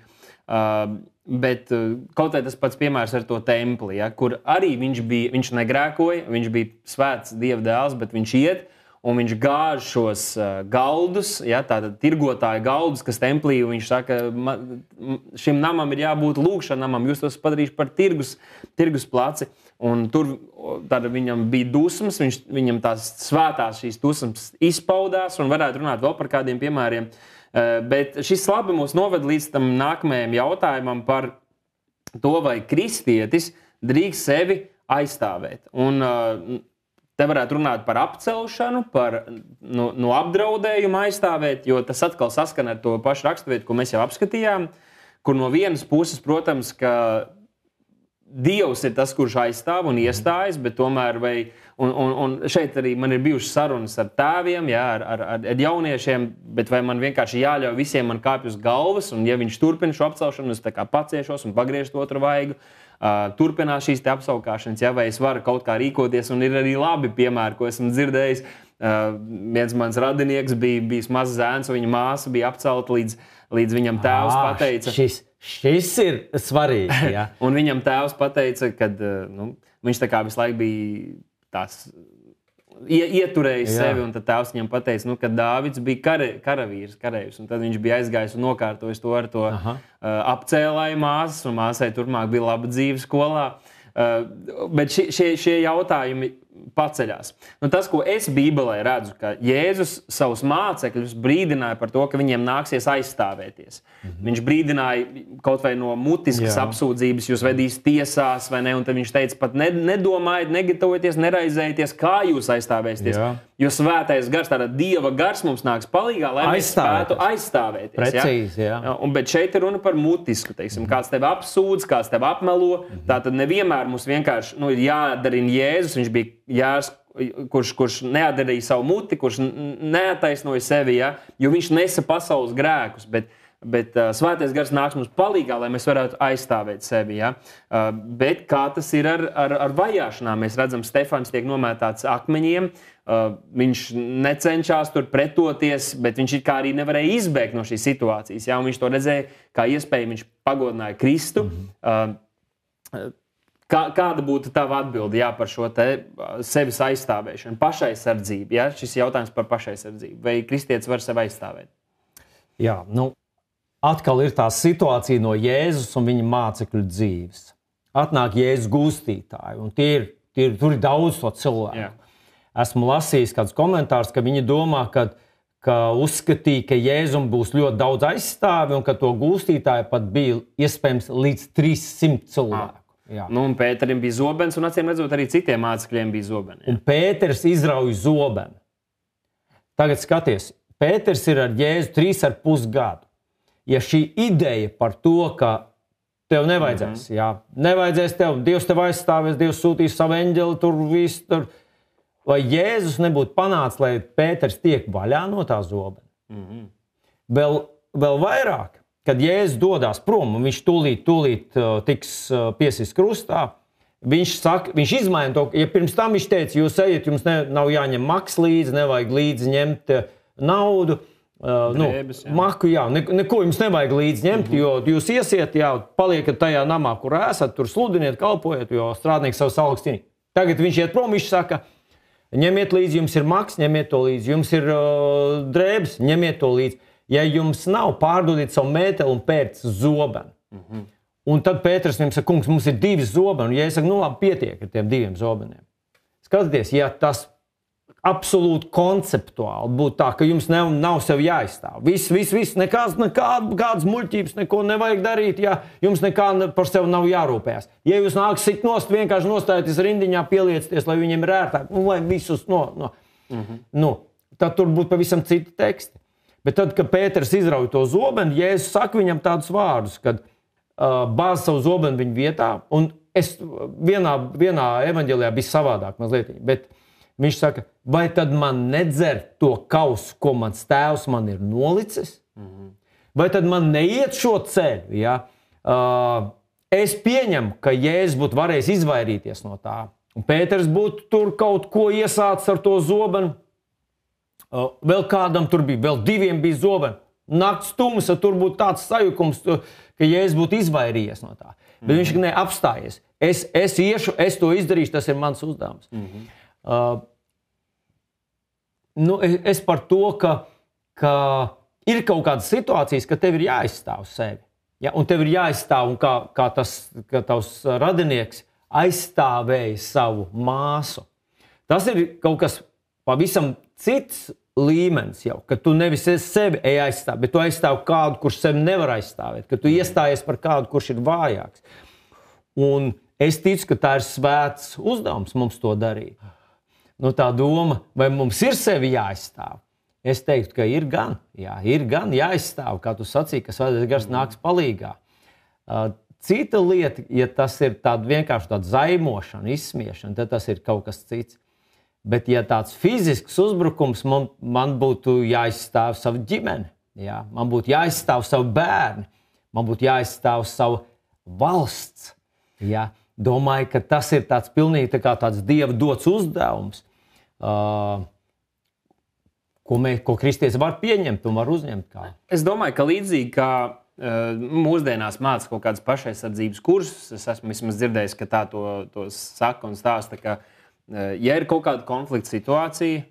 bet kaut vai tas pats piemērs ar to templi, ja, kur arī viņš negrēkoja, viņš bija svēts Dieva dēls, bet viņš iet un viņš gāž šos galdus, ja, tātad tirgotāju galdus, kas templī, un viņš saka, šim namam ir jābūt lūgšanamam, jūs tos padarīšu par tirgus placi. Un tur viņam bija dusmas, viņam tās svētās šīs dusmas izpaudās, un varētu runāt vēl par kādiem piemēriem. Bet šis labi mūs noved līdz tam nākamajam jautājumam par to, vai kristietis drīkst sevi aizstāvēt. Un te varētu runāt par apcelšanu, par no apdraudējuma aizstāvēt, jo tas atkal saskan ar to pašu raksturvietu, ko mēs jau apskatījām, kur no vienas puses, protams, ka Dievs ir tas, kurš aizstāv un iestājas, bet tomēr un šeit arī man ir bijušas sarunas ar tēviem, jā, ar jauniešiem, bet vai man vienkārši jāļauj visiem man kāpj uz galvas, un ja viņš turpina šo apcelšanu, es tā kā paciešos un pagriežu otru vaigu, turpinās šīs te apsaukāšanas, ja, vai es varu kaut kā rīkoties, un ir arī labi piemēri, ko esmu dzirdējis. Viens mans radinieks bija mazs zēns, un viņa māsa bija apcelta līdz viņam tēvs pateica. Šis ir svarīgi. Ja? Un viņam tēvs pateica, ka viņš tā kā visu laiku bija tās ieturējis sevi, un tad tēvs viņam pateica, ka Dāvids bija karavīrs, karējus, un tad viņš bija aizgājis un nokārtojis to ar to apcēlāju māsas, un māsai turpmāk bija laba dzīve skolā. Bet šie jautājumi paceļās. Tas, ko es Bībelē redzu, ka Jēzus savus mācekļus brīdināja par to, ka viņiem nāksies aizstāvēties. Viņš brīdināja kaut vai no mutiskas apsūdzības, jūs vedīs tiesās, vai ne, un tad viņš teica, pat nedomājiet, negatavojieties, neraizējieties, kā jūs aizstāvēsieties. Jo svētais gars, tāda Dieva gars mums nāks palīgā, lai mēs spētu aizstāvēties. Precīzi, Bet šeit ir runa par mutisku, teiksim, kāds tevi apsūdz, kāds tevi apmelo, tātad nevienmēr mums vienkārši ir jādarina Jēzus, viņš bija Jārs, kurš neatdarīja savu muti, kurš neataisnoja sevi, jo viņš nesa pasaules grēkus, bet svētais gars nāks mums palīgā, lai mēs varētu aizstāvēt sevi. Bet kā tas ir ar vajāšanām? Mēs redzam, Stefans tiek nomētāts akmeņiem, viņš necenšas tur pretoties, bet viņš kā arī nevarēja izbēgt no šīs situācijas. Un viņš to redzēja kā iespēju, viņš pagodināja Kristu. Kāda būtu tava atbilde par šo te sevis aizstāvēšanu, pašaizsardzību? Šis jautājums par pašaizsardzību. Vai kristietis var sevi aizstāvēt? Jā, atkal ir tā situācija no Jēzus un viņa mācekļu dzīves. Atnāk Jēzus gūstītāji, un tur ir daudz to cilvēku. Esmu lasījis kādus komentārus, ka viņi domā, ka uzskatīja, ka Jēzum būs ļoti daudz aizstāvi, un ka to gūstītāju pat bija iespējams līdz 300 cilvēku. Un Pēterim bija zobens, un acīm redzot, arī citiem mācekļiem bija zobeni. Un Pēters izrauj zobenu. Tagad skaties, Pēters ir ar Jēzu 3,5 gadu. Ja šī ideja par to, ka tev nevajadzēs, nevajadzēs tev, Dievs tev aizstāvēs, Dievs sūtīs savu eņģeli, tur viss tur, vai Jēzus nebūtu panācis, lai Pēters tiek vaļā no tā zobena? Vēl vairāk. Kad Jēzus dodās prom, un viņš tūlīt tiks piesist krustā, viņš izmaina to, ja pirms tam viņš teica, jūs ejiet, jums nav jāņem maks līdzi, nevajag līdzi ņemt naudu, maku, neko jums nevajag līdzi ņemt, jo jūs iesiet, paliekat tajā namā, kur esat, tur sludiniet, kalpojiet, jo strādnieks savus algas cienīt. Tagad viņš iet prom, viņš saka, ņemiet līdzi, jums ir maks, ņemiet to līdzi, jums ir drēbes, ņemiet to līdzi. Ja jums nav, pārdodiet savu mēteli un pērc zobenu. Un tad Pēters viņam saka, kungs, mums ir 2 zobeni. Un ja es saku, labi, pietiek ar tiem 2 zobeniem. Skatieties, ja tas absolūti konceptuāli būtu tā, ka jums nav sev jāizstāv. Viss, nekādas muļķības, neko nevajag darīt, ja jums nekā par sevi nav jārūpējās. Ja jūs nāk sit nost, vienkārši nostājieties rindiņā, pieliecieties, lai viņiem ir ērtāk, lai visus tad tur būtu pavisam citi teksti. Bet tad, kad Pēters izrauj to zobenu, Jēzus saka viņam tādus vārdus, kad bāz savu zobenu viņa vietā, un vienā evaņģēlijā bija savādāk mazliet, bet viņš saka, vai tad man nedzert to kausu, ko mans tēvs man ir nolicis? Vai tad man neiet šo ceļu? Ja? Es pieņemu, ka Jēzus būtu varējis izvairīties no tā, un Pēters būtu tur kaut ko iesācis ar to zobenu. Vēl kādam tur bija, vēl 2 bija zobeni. Nakts tumsa, tur būtu tāds sajukums, ka Jēzus būtu izvairījies no tā. Bet viņš neapstājies. Es iešu, es to izdarīšu, tas ir mans uzdevums. es par to, ka ir kaut kādas situācijas, ka tev ir jāizstāv sevi. Ja? Un tev ir jāizstāv, un kā tavs radinieks aizstāvēja savu māsu. Tas ir kaut kas pavisam cits līmenis jau, ka tu nevis sevi aizstāv, bet tu aizstāv kādu, kurš sevi nevar aizstāvēt, ka tu iestājies par kādu, kurš ir vājāks. Un es ticu, ka tā ir svēts uzdevums mums to darīt. Tā doma, vai mums ir sevi jāaizstāv? Es teiktu, ka ir gan jāaizstāv, kā tu sacīji, ka Svētais Gars nāks palīgā. Cita lieta, ja tas ir vienkārši tāda zaimošana, izsmiešana, tad tas ir kaut kas cits. Bet, ja tāds fizisks uzbrukums, man būtu jāaizstāv savu ģimeni, jā? Man būtu jāaizstāv savu bērni, man būtu jāaizstāv savu valsts. Jā? Domāju, ka tas ir pilnīgi tāds Dieva dots uzdevums, ko kristietis var pieņemt un var uzņemt. Es domāju, ka līdzīgi kā mūsdienās māca kaut kādas pašaizsardzības kursus, es esmu vismaz dzirdējis, ka tā to saka un stāsta, ka ja ir kaut kāda konflikta situācija,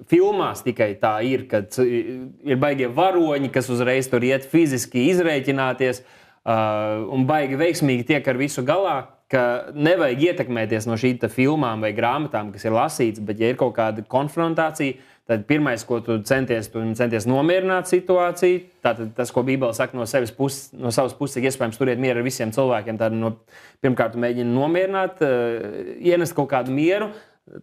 filmās tikai tā ir, kad ir baigie varoņi, kas uzreiz tur iet fiziski izrēķināties un baigi veiksmīgi tiek ar visu galā, ka nevajag ietekmēties no šīm filmām vai grāmatām, kas ir lasīts, bet ja ir kaut kāda konfrontācija, tad pirmais, ko tu centies nomierināt situāciju, tātad tas, ko Bībele saka no savas puses, iespējams turēt mieru ar visiem cilvēkiem, tad pirmkārt mēģina nomierināt, ienest kaut kādu mieru,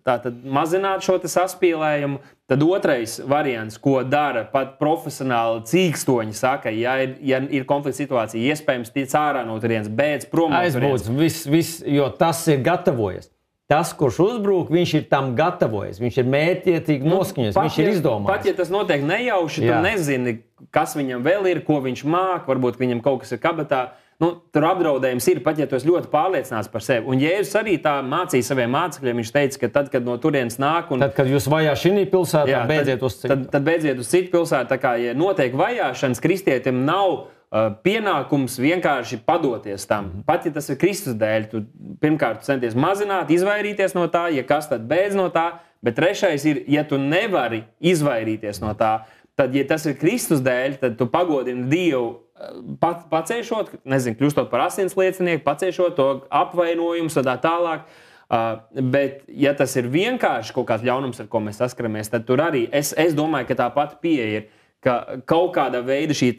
tātad mazināt šo saspīlējumu. Tad otrais variants, ko dara pat profesionāli cīkstoņi, saka, ja ir konflikta situācija, iespējams tiec ārā no turienes, bēdz prom no turienes. Aizbūts, jo tas ir gatavojies. Tas, kurš uzbrūk, viņš ir tam gatavojies, viņš ir mērķiecīgi noskaņojies, viņš ir izdomājis. Pat ja tas notiek nejauši, tu nezini, kas viņam vēl ir, ko viņš māk, varbūt viņam kaut kas ir kabatā. Tur apdraudējums ir, pat ja tu esi ļoti pārliecināts par sevi. Un Jēzus arī tā mācīja saviem mācekļiem, viņš teica, ka tad, kad no turienes nāk... Tad, kad jūs vajā šī pilsētā, beidziet uz citu. Tad beidziet uz citu pilsētu. Tā kā, ja notiek vajāšanas, kristietim nav pienākums vienkārši padoties tam. Pat ja tas ir Kristus dēļ, tu pirmkārt centies mazināt, izvairīties no tā, ja kas tad beidz no tā, bet trešais ir, ja tu nevari izvairīties no tā, tad, ja tas ir Kristus dēļ, tad tu pagodini Dievu pacēšot, kļūstot par asins liecinieku, pacēšot to apvainojumus un tā tālāk. Bet, ja tas ir vienkārši kaut kāds ļaunums, ar ko mēs saskaramies, tad tur arī es domāju, ka tā pati pieeja ir, ka kaut kāda veida šī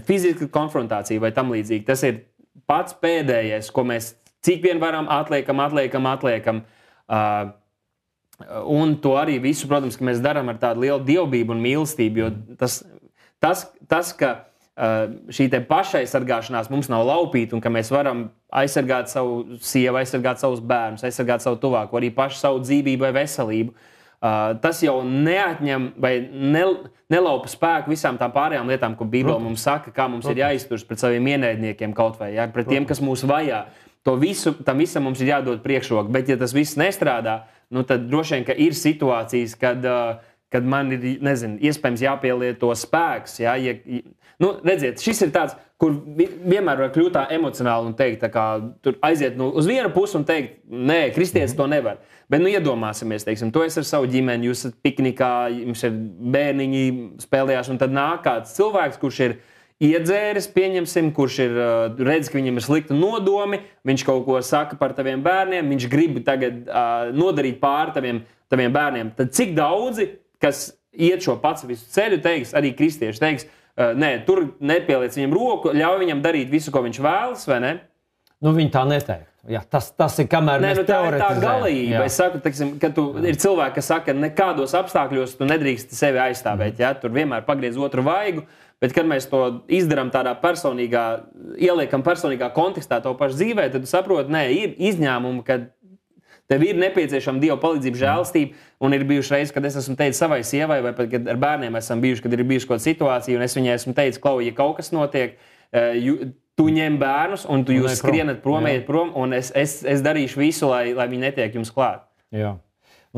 fiziska konfrontācija vai tam līdzīgi, tas ir pats pēdējais, ko mēs cik vien varam atliekam. Un to arī visu, protams, ka mēs darām ar tādu lielu dievbību un mīlestību, jo tas ka šī te pašaizsargāšanās mums nav laupīta un ka mēs varam aizsargāt savu sievu, aizsargāt savus bērnus, aizsargāt savu tuvāko, arī pašu savu dzīvību vai veselību. Tas jau neatņem vai nelaupa spēku visām tām pārējām lietām, ko Bībele mums saka, kā mums ir jāizturas pret saviem ienaidniekiem kaut vai, pret tiem, kas mūs vajā. Tam visam mums ir jādod priekšroku, bet ja tas viss nestrādā, tad droši vien, ka ir situācijas, kad man ir, iespējams jāpielieto spēks. Ja? Redziet, šis ir tāds, kur vienmēr var kļūt tā emocionāli un teikt, tā kā tur aiziet uz vienu pusi un teikt, nē, kristietis to nevar. Bet iedomāsimies, teiksim, tu esi ar savu ģimeni, jūs esat piknikā, jums ir bērniņi spēlējās, un tad nāk kāds cilvēks, kurš ir iedzēris, pieņemsim, kurš ir redz, ka viņam ir slikti nodomi, viņš kaut ko saka par taviem bērniem, viņš grib tagad nodarīt pāri taviem bērniem. Tad cik daudzi, kas iet šo pacifistu ceļu, teiks, arī kristieši teiks, nē, tur nepieliec viņam roku, ļauj viņam darīt visu, ko viņš vēlas, vai ne? Viņi tā neteikt. Jā, tas ir kamēr mēs teoretizējam. Tā ir tā galība. Es saku, teiksim, ka ir cilvēki, kas saka, nekādos apstākļos tu nedrīkst sevi aizstāvēt. Ja? Tur vienmēr pagriez otru vaigu, bet kad mēs to izdarām tādā ieliekam personīgā kontekstā to pašu dzīvē, tad tu saproti, nē, ir izņēmumi, kad tev ir nepieciešama Dieva palīdzība, žēlastība, un ir bijuši reizes, kad es esmu teicis savai sievai, vai pat, kad ar bērniem esam bijuši, kad ir bijuši kaut kāda situācija, un es viņai esmu teicis, Klau, ja kaut kas notiek, tu ņem bērnus, un jūs skrienat prom, ejiet prom, un es darīšu visu, lai viņi netiek jums klāt. Jā.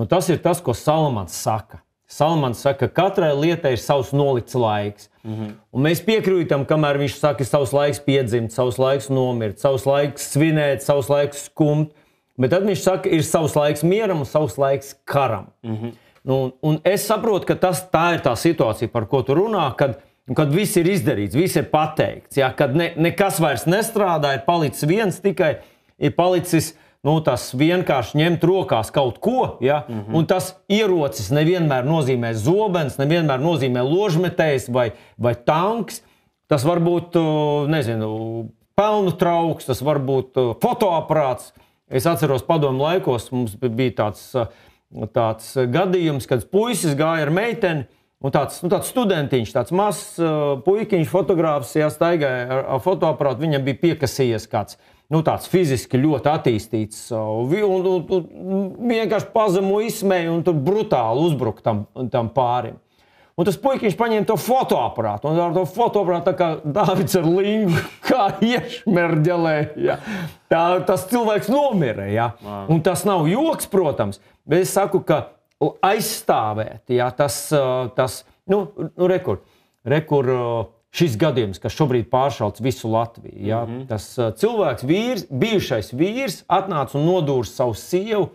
Tas ir tas, ko Salamans saka. Salamans saka, ka katrai lietai ir savs nolikts laiks. Un mēs piekrītam, kamēr viņš saka, savs laiks piedzimt, savs laiks nomirt, savs laiks svinēt, savs laiks skumt. Bet tad viņš saka, ir savs laiks mieram un savs laiks karam. Un es saprotu, ka tā ir tā situācija, par ko tu runā, kad viss ir izdarīts, viss ir pateikts. Ja? Kad nekas vairs nestrādā, ir palicis viens tikai, ir palicis tas vienkārši ņemt rokās kaut ko. Ja? Un tas ierocis nevienmēr nozīmē zobens, nevienmēr nozīmē ložmetējs vai tanks. Tas var būt, pelnu trauks, tas var būt fotoaparāts. Es atceros padomu laikos, mums bija tāds gadījums, kad puisis gāja ar meiteni, un tāds studentiņš, tāds mazs puikiņš, fotogrāfs, staigāja ar fotoaparātu, viņam bija piekasījies kāds, tāds fiziski ļoti attīstīts, un vienkārši pazemo izsmēja un tur brutāli uzbruka tam pārim. Un tas puikiņš paņēma to fotoaparātu, un ar to fotoaparātu tā kā Dāvids ar lingu, kā iešmerģelē. Ja. Tas cilvēks nomira. Ja. Un tas nav joks, protams, bet es saku, ka aizstāvēt, ja, rekur šis gadījums, kas šobrīd pāršauc visu Latviju. Ja. Tas cilvēks, bijušais vīrs, atnāca un nodūra savu sievu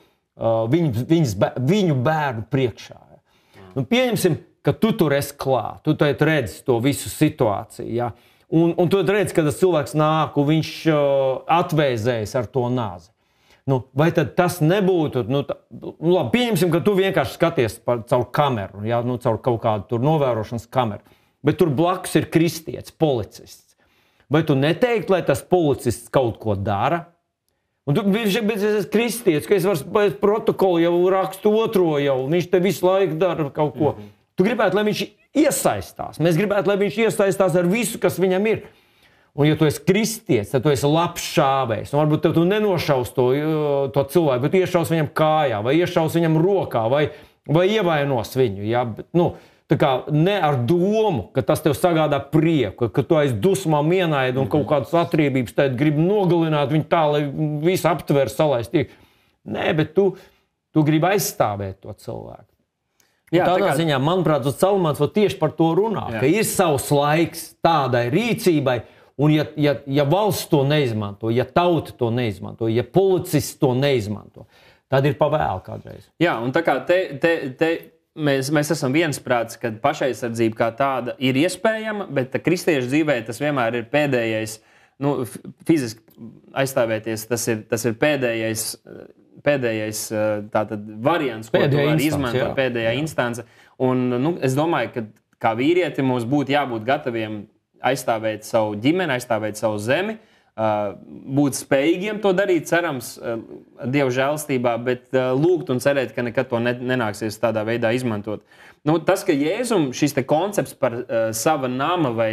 viņu bērnu priekšā. Ja. Pieņemsim, ka tu tur esi klāt, tu redzi to visu situāciju. Ja? Un tu redzi, ka tas cilvēks nāk un viņš atvēzējas ar to nāzi. Vai tad tas nebūtu, labi, pieņemsim, ka tu vienkārši skaties caur kameru, ja? Caur kaut kādu tur novērošanas kameru, bet tur blakus ir kristietis, policists. Vai tu neteiktu, lai tas policists kaut ko dara? Un viņš ir kristietis, ka es varu protokolu jau rakstu otro jau, viņš te visu laiku dara kaut ko. Tu gribētu, lai viņš iesaistās. Mēs gribētu, lai viņš iesaistās ar visu, kas viņam ir. Un ja tu esi kristietis, tad tu esi labs šāvējs. Un varbūt tu nenošaus to cilvēku, bet iešaus viņam kājā, vai iešaus viņam rokā, vai ievainos viņu. Ja? Tā kā ne ar domu, ka tas tev sagādā prieku, ka tu aiz dusmām ienaidi un kaut kādas atriebības tad gribi nogalināt viņu tā, lai visu aptver salaist. Nē, bet tu gribi aizstāvēt to cilvēku. Jā, tādā ziņā, manuprāt, Salmāns tieši par to runā, ka ir savs laiks tādai rīcībai, un ja valsts to neizmanto, ja tauta to neizmanto, ja policists to neizmanto, tad ir pavēlu kādreiz. Jā, un tā kā te mēs esam viensprāts, ka pašaizsardzība kā tāda ir iespējama, bet kristiešu dzīvē tas vienmēr ir pēdējais, fiziski aizstāvēties, tas ir pēdējais tātad variants, ko tu vari izmantot, pēdējā instance. Un es domāju, ka kā vīrieti mums būtu jābūt gataviem aizstāvēt savu ģimeni, aizstāvēt savu zemi, būt spējīgiem to darīt, cerams, Dieva žēlstībā, bet lūgt un cerēt, ka nekad to nenāksies tādā veidā izmantot. Tas, ka Jēzum šis te koncepts par sava nama vai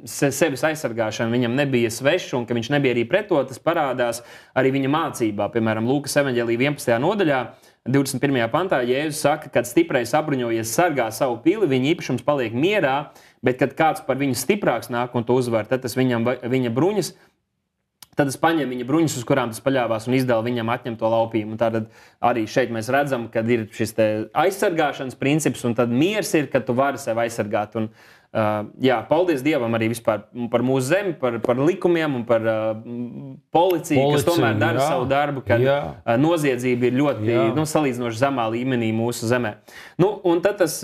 sevis aizsargāšanu viņam nebija svešs un ka viņš nebija arī pret to, tas parādās arī viņa mācībā. Piemēram, Lūkas evaņģēlija 11. nodaļā, 21. pantā, Jēzus saka, kad stiprais apbruņojies sargā savu pili, viņa īpašums paliek mierā, bet kad kāds par viņu stiprāks nāk un to uzvar, tad tas viņa bruņas, tad es paņemu viņa bruņas, uz kurām tas paļāvās un izdalu viņam atņemto laupījumu. Un tātad arī šeit mēs redzam, kad ir šis te aizsargāšanas princips un tad miers ir, kad tu vari sevi aizsargāt. Un, paldies Dievam arī vispār par mūsu zemi, par likumiem un par policiju, kas tomēr dara savu darbu, kad noziedzība ir ļoti salīdzinoši zemā līmenī mūsu zemē. Un tad tas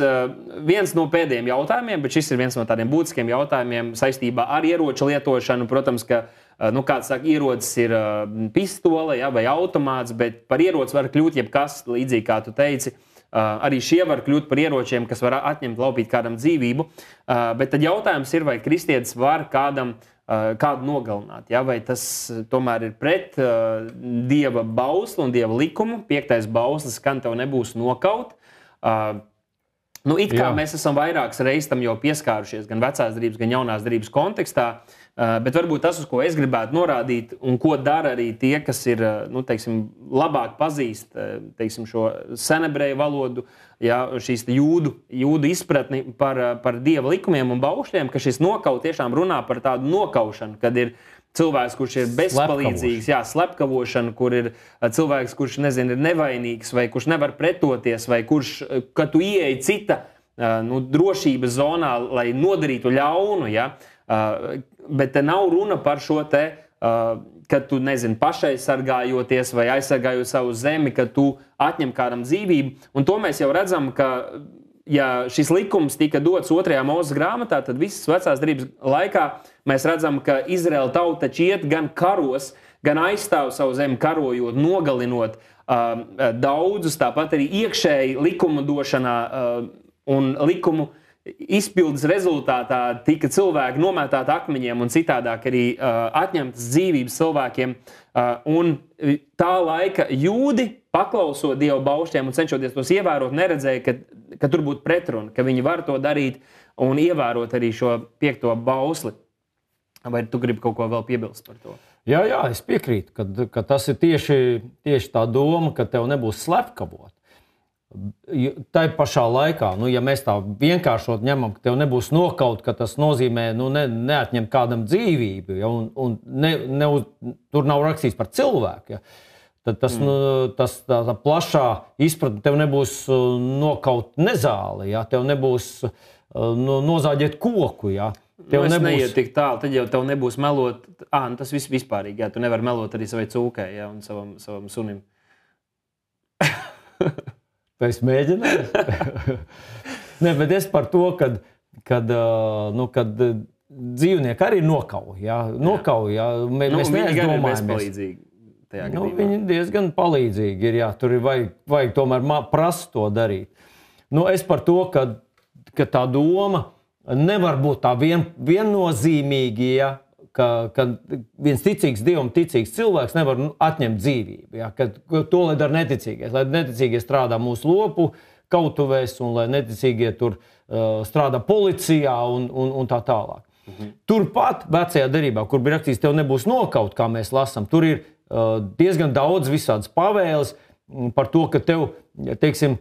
viens no pēdējiem jautājumiem, bet šis ir viens no tādiem būtiskiem jautājumiem saistībā ar ieroču lietošanu. Protams, ka kāds saka, ierocis ir pistole vai automāts, bet par ieroci var kļūt jebkas, līdzīgi kā tu teici. Arī šie var kļūt par ieročiem, kas var atņemt, laupīt kādam dzīvību. Bet tad jautājums ir, vai kristietis var kādu nogalināt. Ja? Vai tas tomēr ir pret Dieva bausli un Dieva likumu. 5. bauslis, kan tev nebūs nokaut. It kā mēs esam vairākas reizes tam jau pieskārušies, gan vecās derības, gan jaunās derības kontekstā, bet varbūt tas, uz ko es gribētu norādīt un ko dara arī tie, kas ir, labāk pazīst, šo senebreju valodu, šīs jūdu izpratni par Dieva likumiem un baušļiem, ka šis nokaut tiešām runā par tādu nokaušanu, kad ir cilvēks, kurš ir bezpalīdzīgs, slepkavošana, kur ir cilvēks, kurš, ir nevainīgs, vai kurš nevar pretoties, vai kurš, kad tu ieeji cita drošības zonā, lai nodarītu ļaunu, bet te nav runa par šo te kad tu, nezini, pašaizsargājoties vai aizsargājot savu zemi, kad tu atņem kādam dzīvību. Un to mēs jau redzam, ka ja šis likums tika dots 2. Mūzes grāmatā, tad visas vecās derības laikā mēs redzam, ka Izraēla tauta iet gan karos, gan aizstāv savu zemi karojot, nogalinot daudzus, tāpat arī iekšēji likumu došanā un likumu izpildes rezultātā tika cilvēki nomētāti akmeņiem un citādāk arī atņemtas dzīvības cilvēkiem. Un tā laika jūdi, paklausot Dieva baušļiem un cenšoties tos ievērot, neredzēja, ka tur būtu pretruna, ka viņi var to darīt un ievērot arī šo 5. bausli. Vai tu gribi kaut ko vēl piebilst par to? Jā, es piekrītu, ka tas ir tieši tā doma, ka tev nebūs slepkavot. Tā pašā laikā, ja mēs tā vienkāršot ņemam, ka tev nebūs nokaut, ka tas nozīmē neatņemt kādam dzīvību, ja, un tur nav rakstīts par cilvēku, ja, tad tā plašā izpratne tev nebūs nokaut nezāli, ja, tev nebūs nozāģēt koku. Ja. Tev neiet tik tālu, tad jau tev nebūs melot. Tas viss vispārīgi, jā, tu nevar melot arī savai cūkai, jā, un savam sunim. Es mēģināju. Nē, bet es par to, kad dzīvnieki arī nokauj. Jā. Mēs neaizdomājamies. Bezpalīdzīgi tajā gadījumā. Viņi diezgan palīdzīgi ir, jā. Tur ir vajag tomēr prast to darīt. Es par to, ka tā doma nevar būt tā viennozīmīgi, ja, ka viens ticīgs Dievam ticīgs cilvēks nevar atņemt dzīvību. Ja, to, lai dara neticīgais. Lai neticīgie strādā mūsu lopu kautuvēs un lai neticīgie tur strādā policijā un tā tālāk. Turpat vecajā derībā, kur bija rakstīts, tev nebūs nokaut, kā mēs lasām, tur ir diezgan daudz visādas pavēles par to, ka tev, teiksim,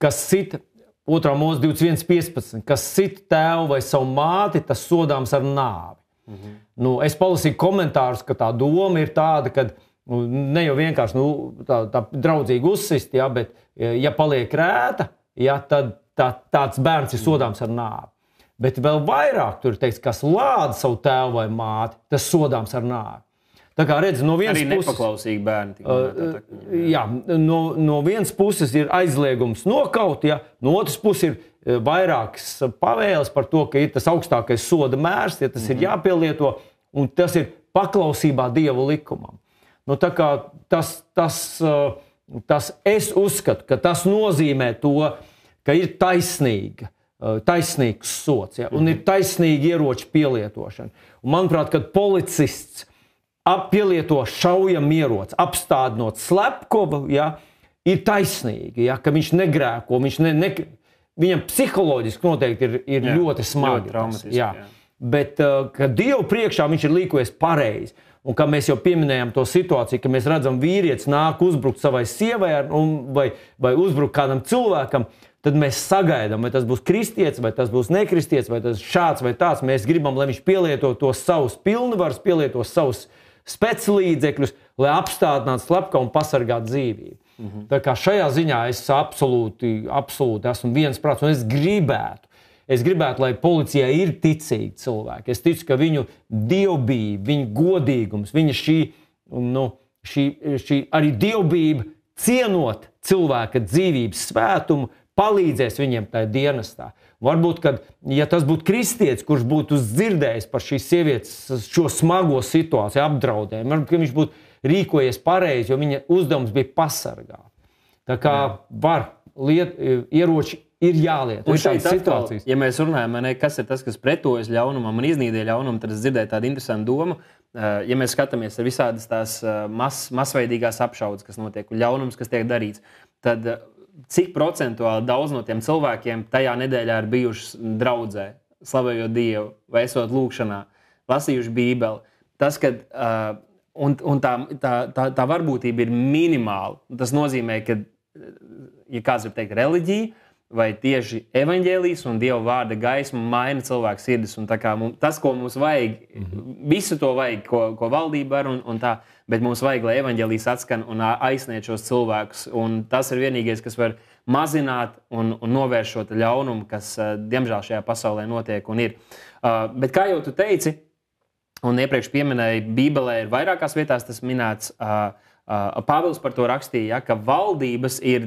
kas cita 2. Mūzes 21.15, kas sit tēvu vai savu māti, tas sodāms ar nāvi. Es palasīju komentārus, ka tā doma ir tāda, ka ne jau vienkārši tā draudzīgi uzsist, ja, bet ja paliek rēta, ja, tad tāds bērns ir sodāms ar nāvi. Bet vēl vairāk tur ir teikts, kas lāda savu tēvu vai māti, tas sodāms ar nāvi. Tā kā redz, no vienas puses... Arī nepaklausīgi bērni. Jā, no vienas puses ir aizliegums nokaut, ja, no otras puses ir vairākas pavēles par to, ka ir tas augstākais soda mērs, ja tas ir jāpielieto, un tas ir paklausībā Dieva likumam. Tā kā tas es uzskatu, ka tas nozīmē to, ka ir taisnīgs sods, ja, un ir taisnīgi ieroči pielietošana. Un manuprāt, kad policists pielieto šaujamieroci, apstādinot slepkavu, ja, ir taisnīgi, ja, ka viņš negrēko, viņam psiholoģiski noteikti ir ļoti smagi. Jā. Bet, ka Dievu priekšā viņš ir līkojies pareizi. Un kā mēs jau pieminējām to situāciju, ka mēs redzam vīrietis nāk uzbrukt savai sievai vai uzbrukt kādam cilvēkam, tad mēs sagaidām, vai tas būs kristietis, vai tas būs nekristietis, vai tas šāds vai tāds. Mēs gribam, lai viņš pielieto tos savus pilnvarus, pielieto savus speclīdzekļus, lai apstādinātu slepkavu un pasargātu dzīvību. Tā kā šajā ziņā es absolūti esmu viensprāts, un es gribētu, lai policijā ir ticīgi cilvēki. Es ticu, ka viņu dievbijība, viņu godīgums, viņa šī arī dievbijība cienot cilvēka dzīvības svētumu, palīdzēs viņiem tajā dienestā. Varbūt, ja tas būtu kristietis, kurš būtu dzirdējis par šīs sievietes šo smago situāciju, apdraudējumu, varbūt, ka viņš būtu rīkojies pareizi, jo viņa uzdevums bija pasargāt. Tā kā ieroči ir jālieto. Un šeit atkal, ja mēs runājam, kas ir tas, kas pretojas ļaunumam un iznīdē ļaunumu, tad es dzirdēju tādu interesantu domu. Ja mēs skatāmies ar visādas tās masveidīgās apšaudes, kas notiek, un ļaunums, kas tiek darīts, tad cik procentuāli daudz no tiem cilvēkiem tajā nedēļā ir bijuši draudzē, slavējot Dievu, vai esot lūkšanā, lasījuši Bībeli. Tas, kad tā varbūtība ir minimāla. Tas nozīmē, ka, ja kāds var teikt reliģija, vai tieši evaņģēlijs un Dieva vārda gaisma maina cilvēku sirdis. Un tā kā tas, ko mums vajag, visu to vajag, ko valdība var un tā, bet mums vajag, lai evaņģēlijs atskan un aizsniedz šos cilvēkus. Un tas ir vienīgais, kas var mazināt un novērst šo ļaunumu, kas, diemžēl, šajā pasaulē notiek un ir. Bet kā jau tu teici, Un iepriekš pieminēja, Bībelē ir vairākās vietās tas minēts, Pāvils par to rakstīja, ka valdības ir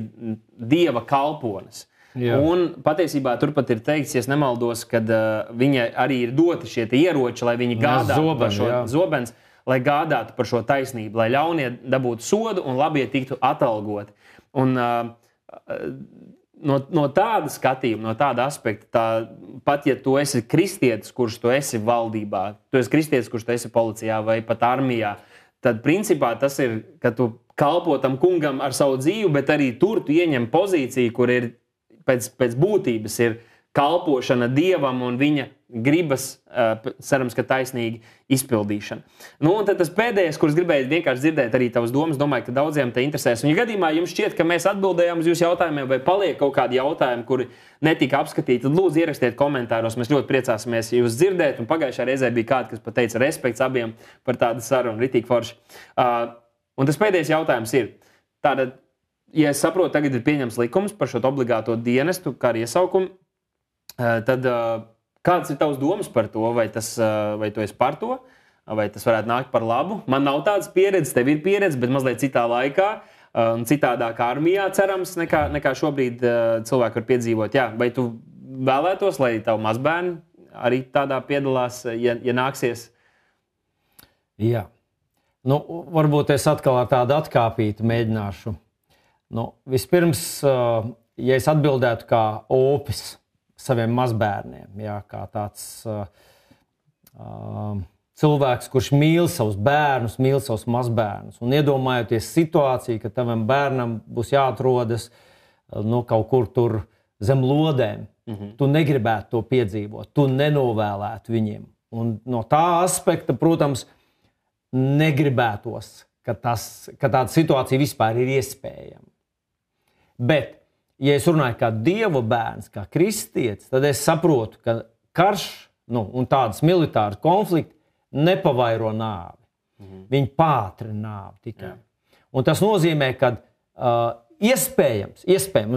Dieva kalpones. Jā. Un patiesībā turpat ir teikts, ja es nemaldos, kad viņa arī ir doti šie ieroči, lai viņi gādātu par šo zobens, lai gādātu par šo taisnību, lai ļaunie dabūtu sodu un labie tiktu atalgoti. Un no tāda skatījuma, no tāda aspekta, pat ja tu esi kristietis, kurš tu esi valdībā, tu esi kristietis, kurš tu esi policijā vai pat armijā, tad principā tas ir, ka tu kalpo tam kungam ar savu dzīvi, bet arī tur tu ieņem pozīciju, kur ir pēc būtības ir kalpošana Dievam un viņa gribas, cerams, ka taisnīgi izpildīšana. Nu, un tad tas pēdējais, kurš gribēju vienkārši dzirdēt arī tavas domas, domāju, ka daudziem te interesēs. Un ja gadījumā jums šķiet, ka mēs atbildējām uz jūsu jautājumiem vai paliek kaut kādi jautājumi, kuri netika apskatīti, tad lūdzu ierakstiet komentāros. Mēs ļoti priecāsimies jūs dzirdēt. Un pagājušā reizē bija kāds, kas pateica respekts abiem par tādu sarunu, ritīgi forši. Un tas pēdējais jautājums ir, tātad, ja es saprotu, tagad ir pieņems likums par šo obligāto dienestu, kā arī iesaukumu, tad kāds ir tavs domas par to, vai tu esi par to, vai tas varētu nākt par labu? Man nav tādas pieredzes, tev ir pieredze, bet mazliet citā laikā un citādākā armijā, cerams, nekā šobrīd cilvēki var piedzīvot. Jā, vai tu vēlētos, lai tavu mazbērni arī tādā piedalās, ja nāksies? Jā. Nu, varbūt es atkal ar tādu atkāpītu mēģināšu. Nu, vispirms, ja es atbildētu kā opis saviem mazbērniem, jā, kā tāds cilvēks, kurš mīl savus bērnus, mīl savus mazbērnus, un iedomājoties situāciju, ka tavam bērnam būs jāatrodas kaut kur tur zem lodēm, tu negribētu to piedzīvot, tu nenovēlētu viņiem. Un no tā aspekta, protams, negribētos, ka tāda situācija vispār ir iespējama. Bet, ja es runāju kā Dieva bērns, kā kristietis, tad es saprotu, ka karš un tādas militāras konflikti nepavairo nāvi. Viņi pātrina nāvi tikai. Un tas nozīmē, ka iespējams,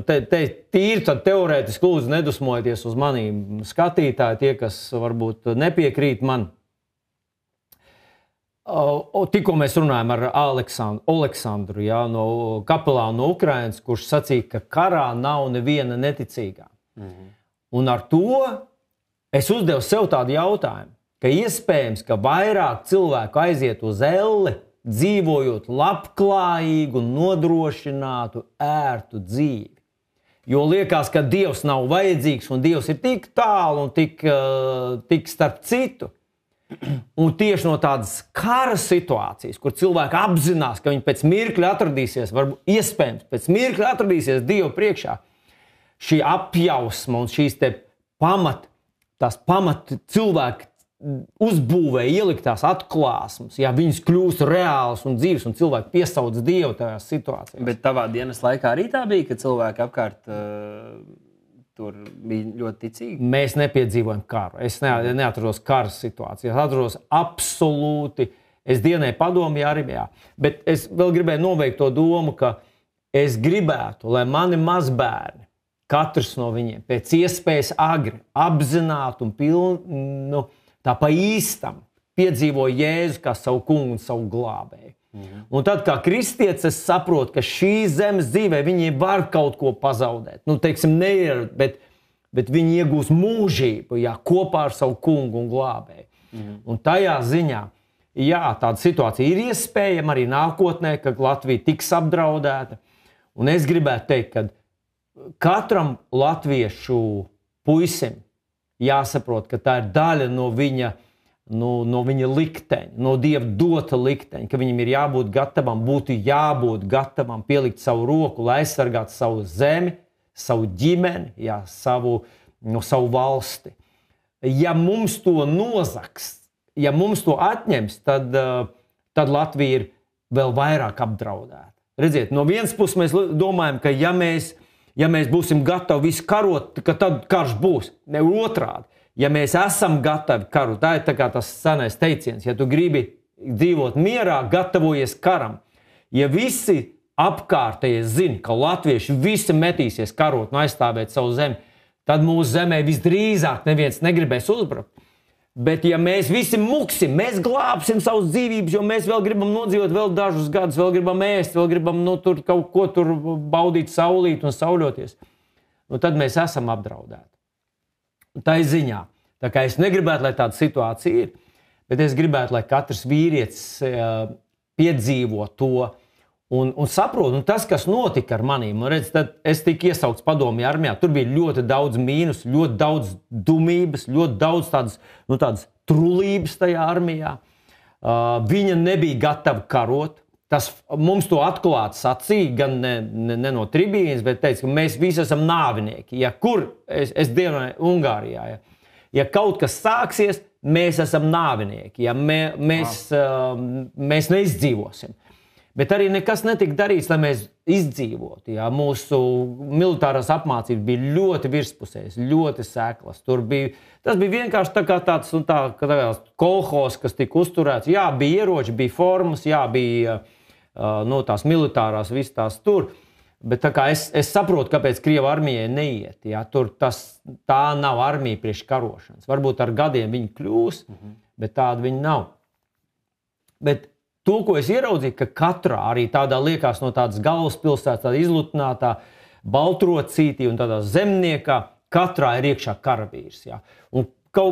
te tīri tad teorētiski lūdzu nedusmojieties uz maniem skatītāji, tie, kas varbūt nepiekrīt man. Tikko mēs runājam ar Aleksandru, no kapelāna no Ukrainas, kurš sacīja, ka karā nav neviena neticīgā. Un ar to es uzdevu sev tādu jautājumu, ka iespējams, ka vairāk cilvēku aiziet uz elli, dzīvojot labklājīgu, nodrošinātu, ērtu dzīvi. Jo liekas, ka Dievs nav vajadzīgs un Dievs ir tik tālu un tik starp citu. Un tieši no tādas kara situācijas, kur cilvēki apzinās, ka viņi pēc mirkļa atradīsies, varbūt iespējams, pēc mirkļa atradīsies Dievu priekšā, šī apjausma un šīs te pamat cilvēki uzbūvē ieliktās atklāsmes, ja viņas kļūst reālas un dzīves, un cilvēki piesauc Dievu tajās situācijās. Bet tavā dienas laikā arī tā bija, ka cilvēki apkārt tur bija ļoti ticīgi? Mēs nepiedzīvojam karu. Es neatrados kara situācijā. Es atrados absolūti. Es dienēju padomju armijā. Bet es vēl gribēju noveikt to domu, ka es gribētu, lai mani mazbērni, katrs no viņiem, pēc iespējas agri, apzināti un tā pa īstam piedzīvo Jēzu kā savu kungu un savu glābēju. Un tad, kā kristietis, es saprotu, ka šī zemes dzīvē viņi var kaut ko pazaudēt. Bet viņi iegūs mūžību, kopā ar savu kungu un glābēju. Un tajā ziņā, tāda situācija ir iespējama arī nākotnē, kad Latvija tiks apdraudēta. Un es gribētu teikt, ka katram latviešu puisim jāsaprot, ka tā ir daļa no viņa likteņa, no Dieva dota likteņa, ka viņam ir jābūt gatavam pielikt savu roku, lai aizsargātu savu zemi, savu ģimeni, savu valsti. Ja mums to nozags, ja mums to atņems, tad Latvija ir vēl vairāk apdraudēta. Redziet, no vienas puses mēs domājam, ka ja mēs būsim gatavi visu karot, ka tad karš būs. Ne otrādi. Ja mēs esam gatavi karu, tā ir tā kā tas senais teiciens, ja tu gribi dzīvot mierā, gatavojies karam. Ja visi apkārtējie zina, ka latvieši visi metīsies karot un aizstāvēt savu zemi, tad mūsu zemē visdrīzāk neviens negribēs uzbrukt. Bet ja mēs visi muksim, mēs glābsim savus dzīvības, jo mēs vēl gribam nodzīvot vēl dažus gadus, vēl gribam ēst, vēl gribam tur kaut ko tur baudīt saulīt un sauļoties, tad mēs esam apdraudēti. Tā ir ziņā. Tā kā es negribētu, lai tāda situācija ir, bet es gribētu, lai katrs vīrietis piedzīvo to un saprot, un tas, kas notika ar manīm, redz, tad es tiku iesaukts padomju armijā, tur bija ļoti daudz mīnus, ļoti daudz dumības, ļoti daudz tādas trulības tajā armijā. Viņa nebija gatava karot. Tas mums to atklāti sacīja, gan ne no tribīnes, bet teica, ka mēs visi esam nāvinieki. Ja kur, es dievināju Ungārijā, ja kaut kas sāksies, mēs esam nāvinieki, ja mēs neizdzīvosim. Bet arī nekas netika darīts, lai mēs izdzīvotu. Ja? Mūsu militārās apmācības bija ļoti virspusējas, ļoti seklas. Tas bija vienkārši tāds kolhos, kas tika uzturēts. Jā, bija ieroči, bija formas, jā, bija tās militārās, visas tās tur. Bet tā kā es saprotu, kāpēc Krieva armijai neiet. Ja? Tā nav armija priekš karošanas. Varbūt ar gadiem viņi kļūs, bet tāda viņi nav. Bet to, ko es ieraudzīju, ka katrā arī tādā liekas no tādas galvaspilsētas, tāda izlutinātā baltrocītī un tādā zemniekā, katrā ir iekšā karavīrs. Ja? Un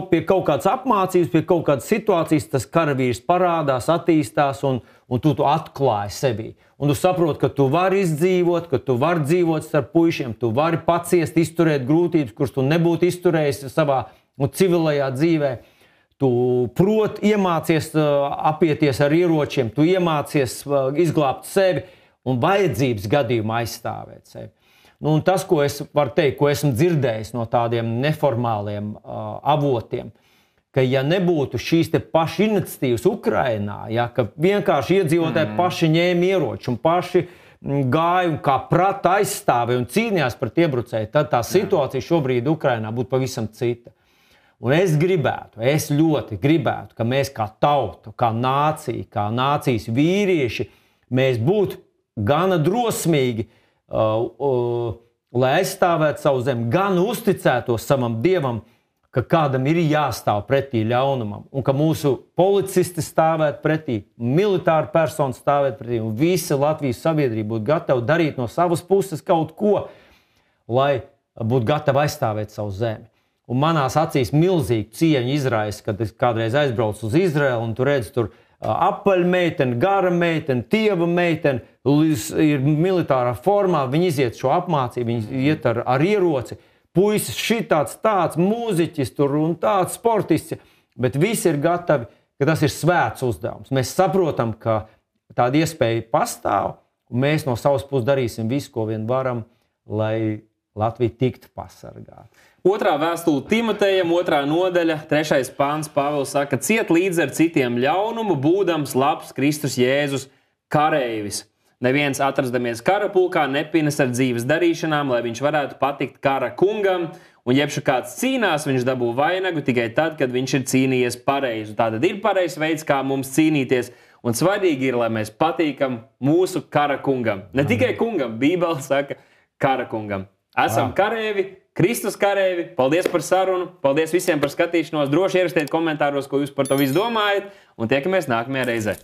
pie kaut kādas apmācības, pie kaut kādas situācijas tas karavīrs parādās, attīstās un tu atklāji sevi. Un tu saproti, ka tu vari izdzīvot, ka tu vari dzīvot starp puišiem, tu vari paciest, izturēt grūtības, kuras tu nebūtu izturējis savā civilajā dzīvē. Tu iemācies apieties ar ieročiem, tu iemācies izglābt sevi un vajadzības gadījumā aizstāvēt sevi. Un tas, ko es varu teikt, ko esmu dzirdējis no tādiem neformāliem avotiem, ka ja nebūtu šīs te paši iniciatīvas Ukrainā, ja, ka vienkārši iedzīvotāji paši ņēma ieroči un paši gāja un kā prata aizstāvēja un cīnījās pret iebrucēju, tad tā situācija šobrīd Ukrainā būtu pavisam cita. Un es ļoti gribētu, ka mēs kā tauta, kā nācija, kā nācijas vīrieši, mēs būtu gana drosmīgi, lai aizstāvētu savu zemi, gan uzticētos savam dievam, ka kādam ir jāstāv pretī ļaunumam, un ka mūsu policisti stāvētu pretī, militāri personi stāvētu pretī, un visa Latvijas sabiedrība būtu gatava darīt no savas puses kaut ko, lai būtu gatava aizstāvēt savu zemi. Un manās acīs milzīgi cieņu izraisa, kad es kādreiz aizbraucu uz Izraelu, un tu redzi tur apaļa meitene, gara meitene, tieva meitene, ir militārā formā, viņi iziet šo apmācību, viņi iet ar ieroci, puisis tāds mūziķis tur un tāds sportists, bet visi ir gatavi, ka tas ir svēts uzdevums. Mēs saprotam, ka tāda iespēja pastāv, un mēs no savas puses darīsim visu, ko vien varam, lai Latvija tiktu pasargāta. Otrā vēstule Timotejam, 2. nodaļa, 3. pāns, Pāvils saka, ciet līdz ar citiem ļaunumu, būdams labs Kristus Jēzus kareivis. Neviens atrastamies karapulkā nepinas ar dzīves darīšanām, lai viņš varētu patikt kara kungam, un jebšu kāds cīnās, viņš dabū vainagu tikai tad, kad viņš ir cīnījies pareizi. Tātad ir pareizs veids, kā mums cīnīties, un svarīgi ir, lai mēs patīkam mūsu kara kungam. Ne tikai kungam, Bībele saka kara kungam. Esam kareivi, Kristus kareivi. Paldies par sarunu. Paldies visiem par skatīšanos. Droši ierakstiet komentāros, ko jūs par to visu domājat. Un tiekamies nākamajā reizē.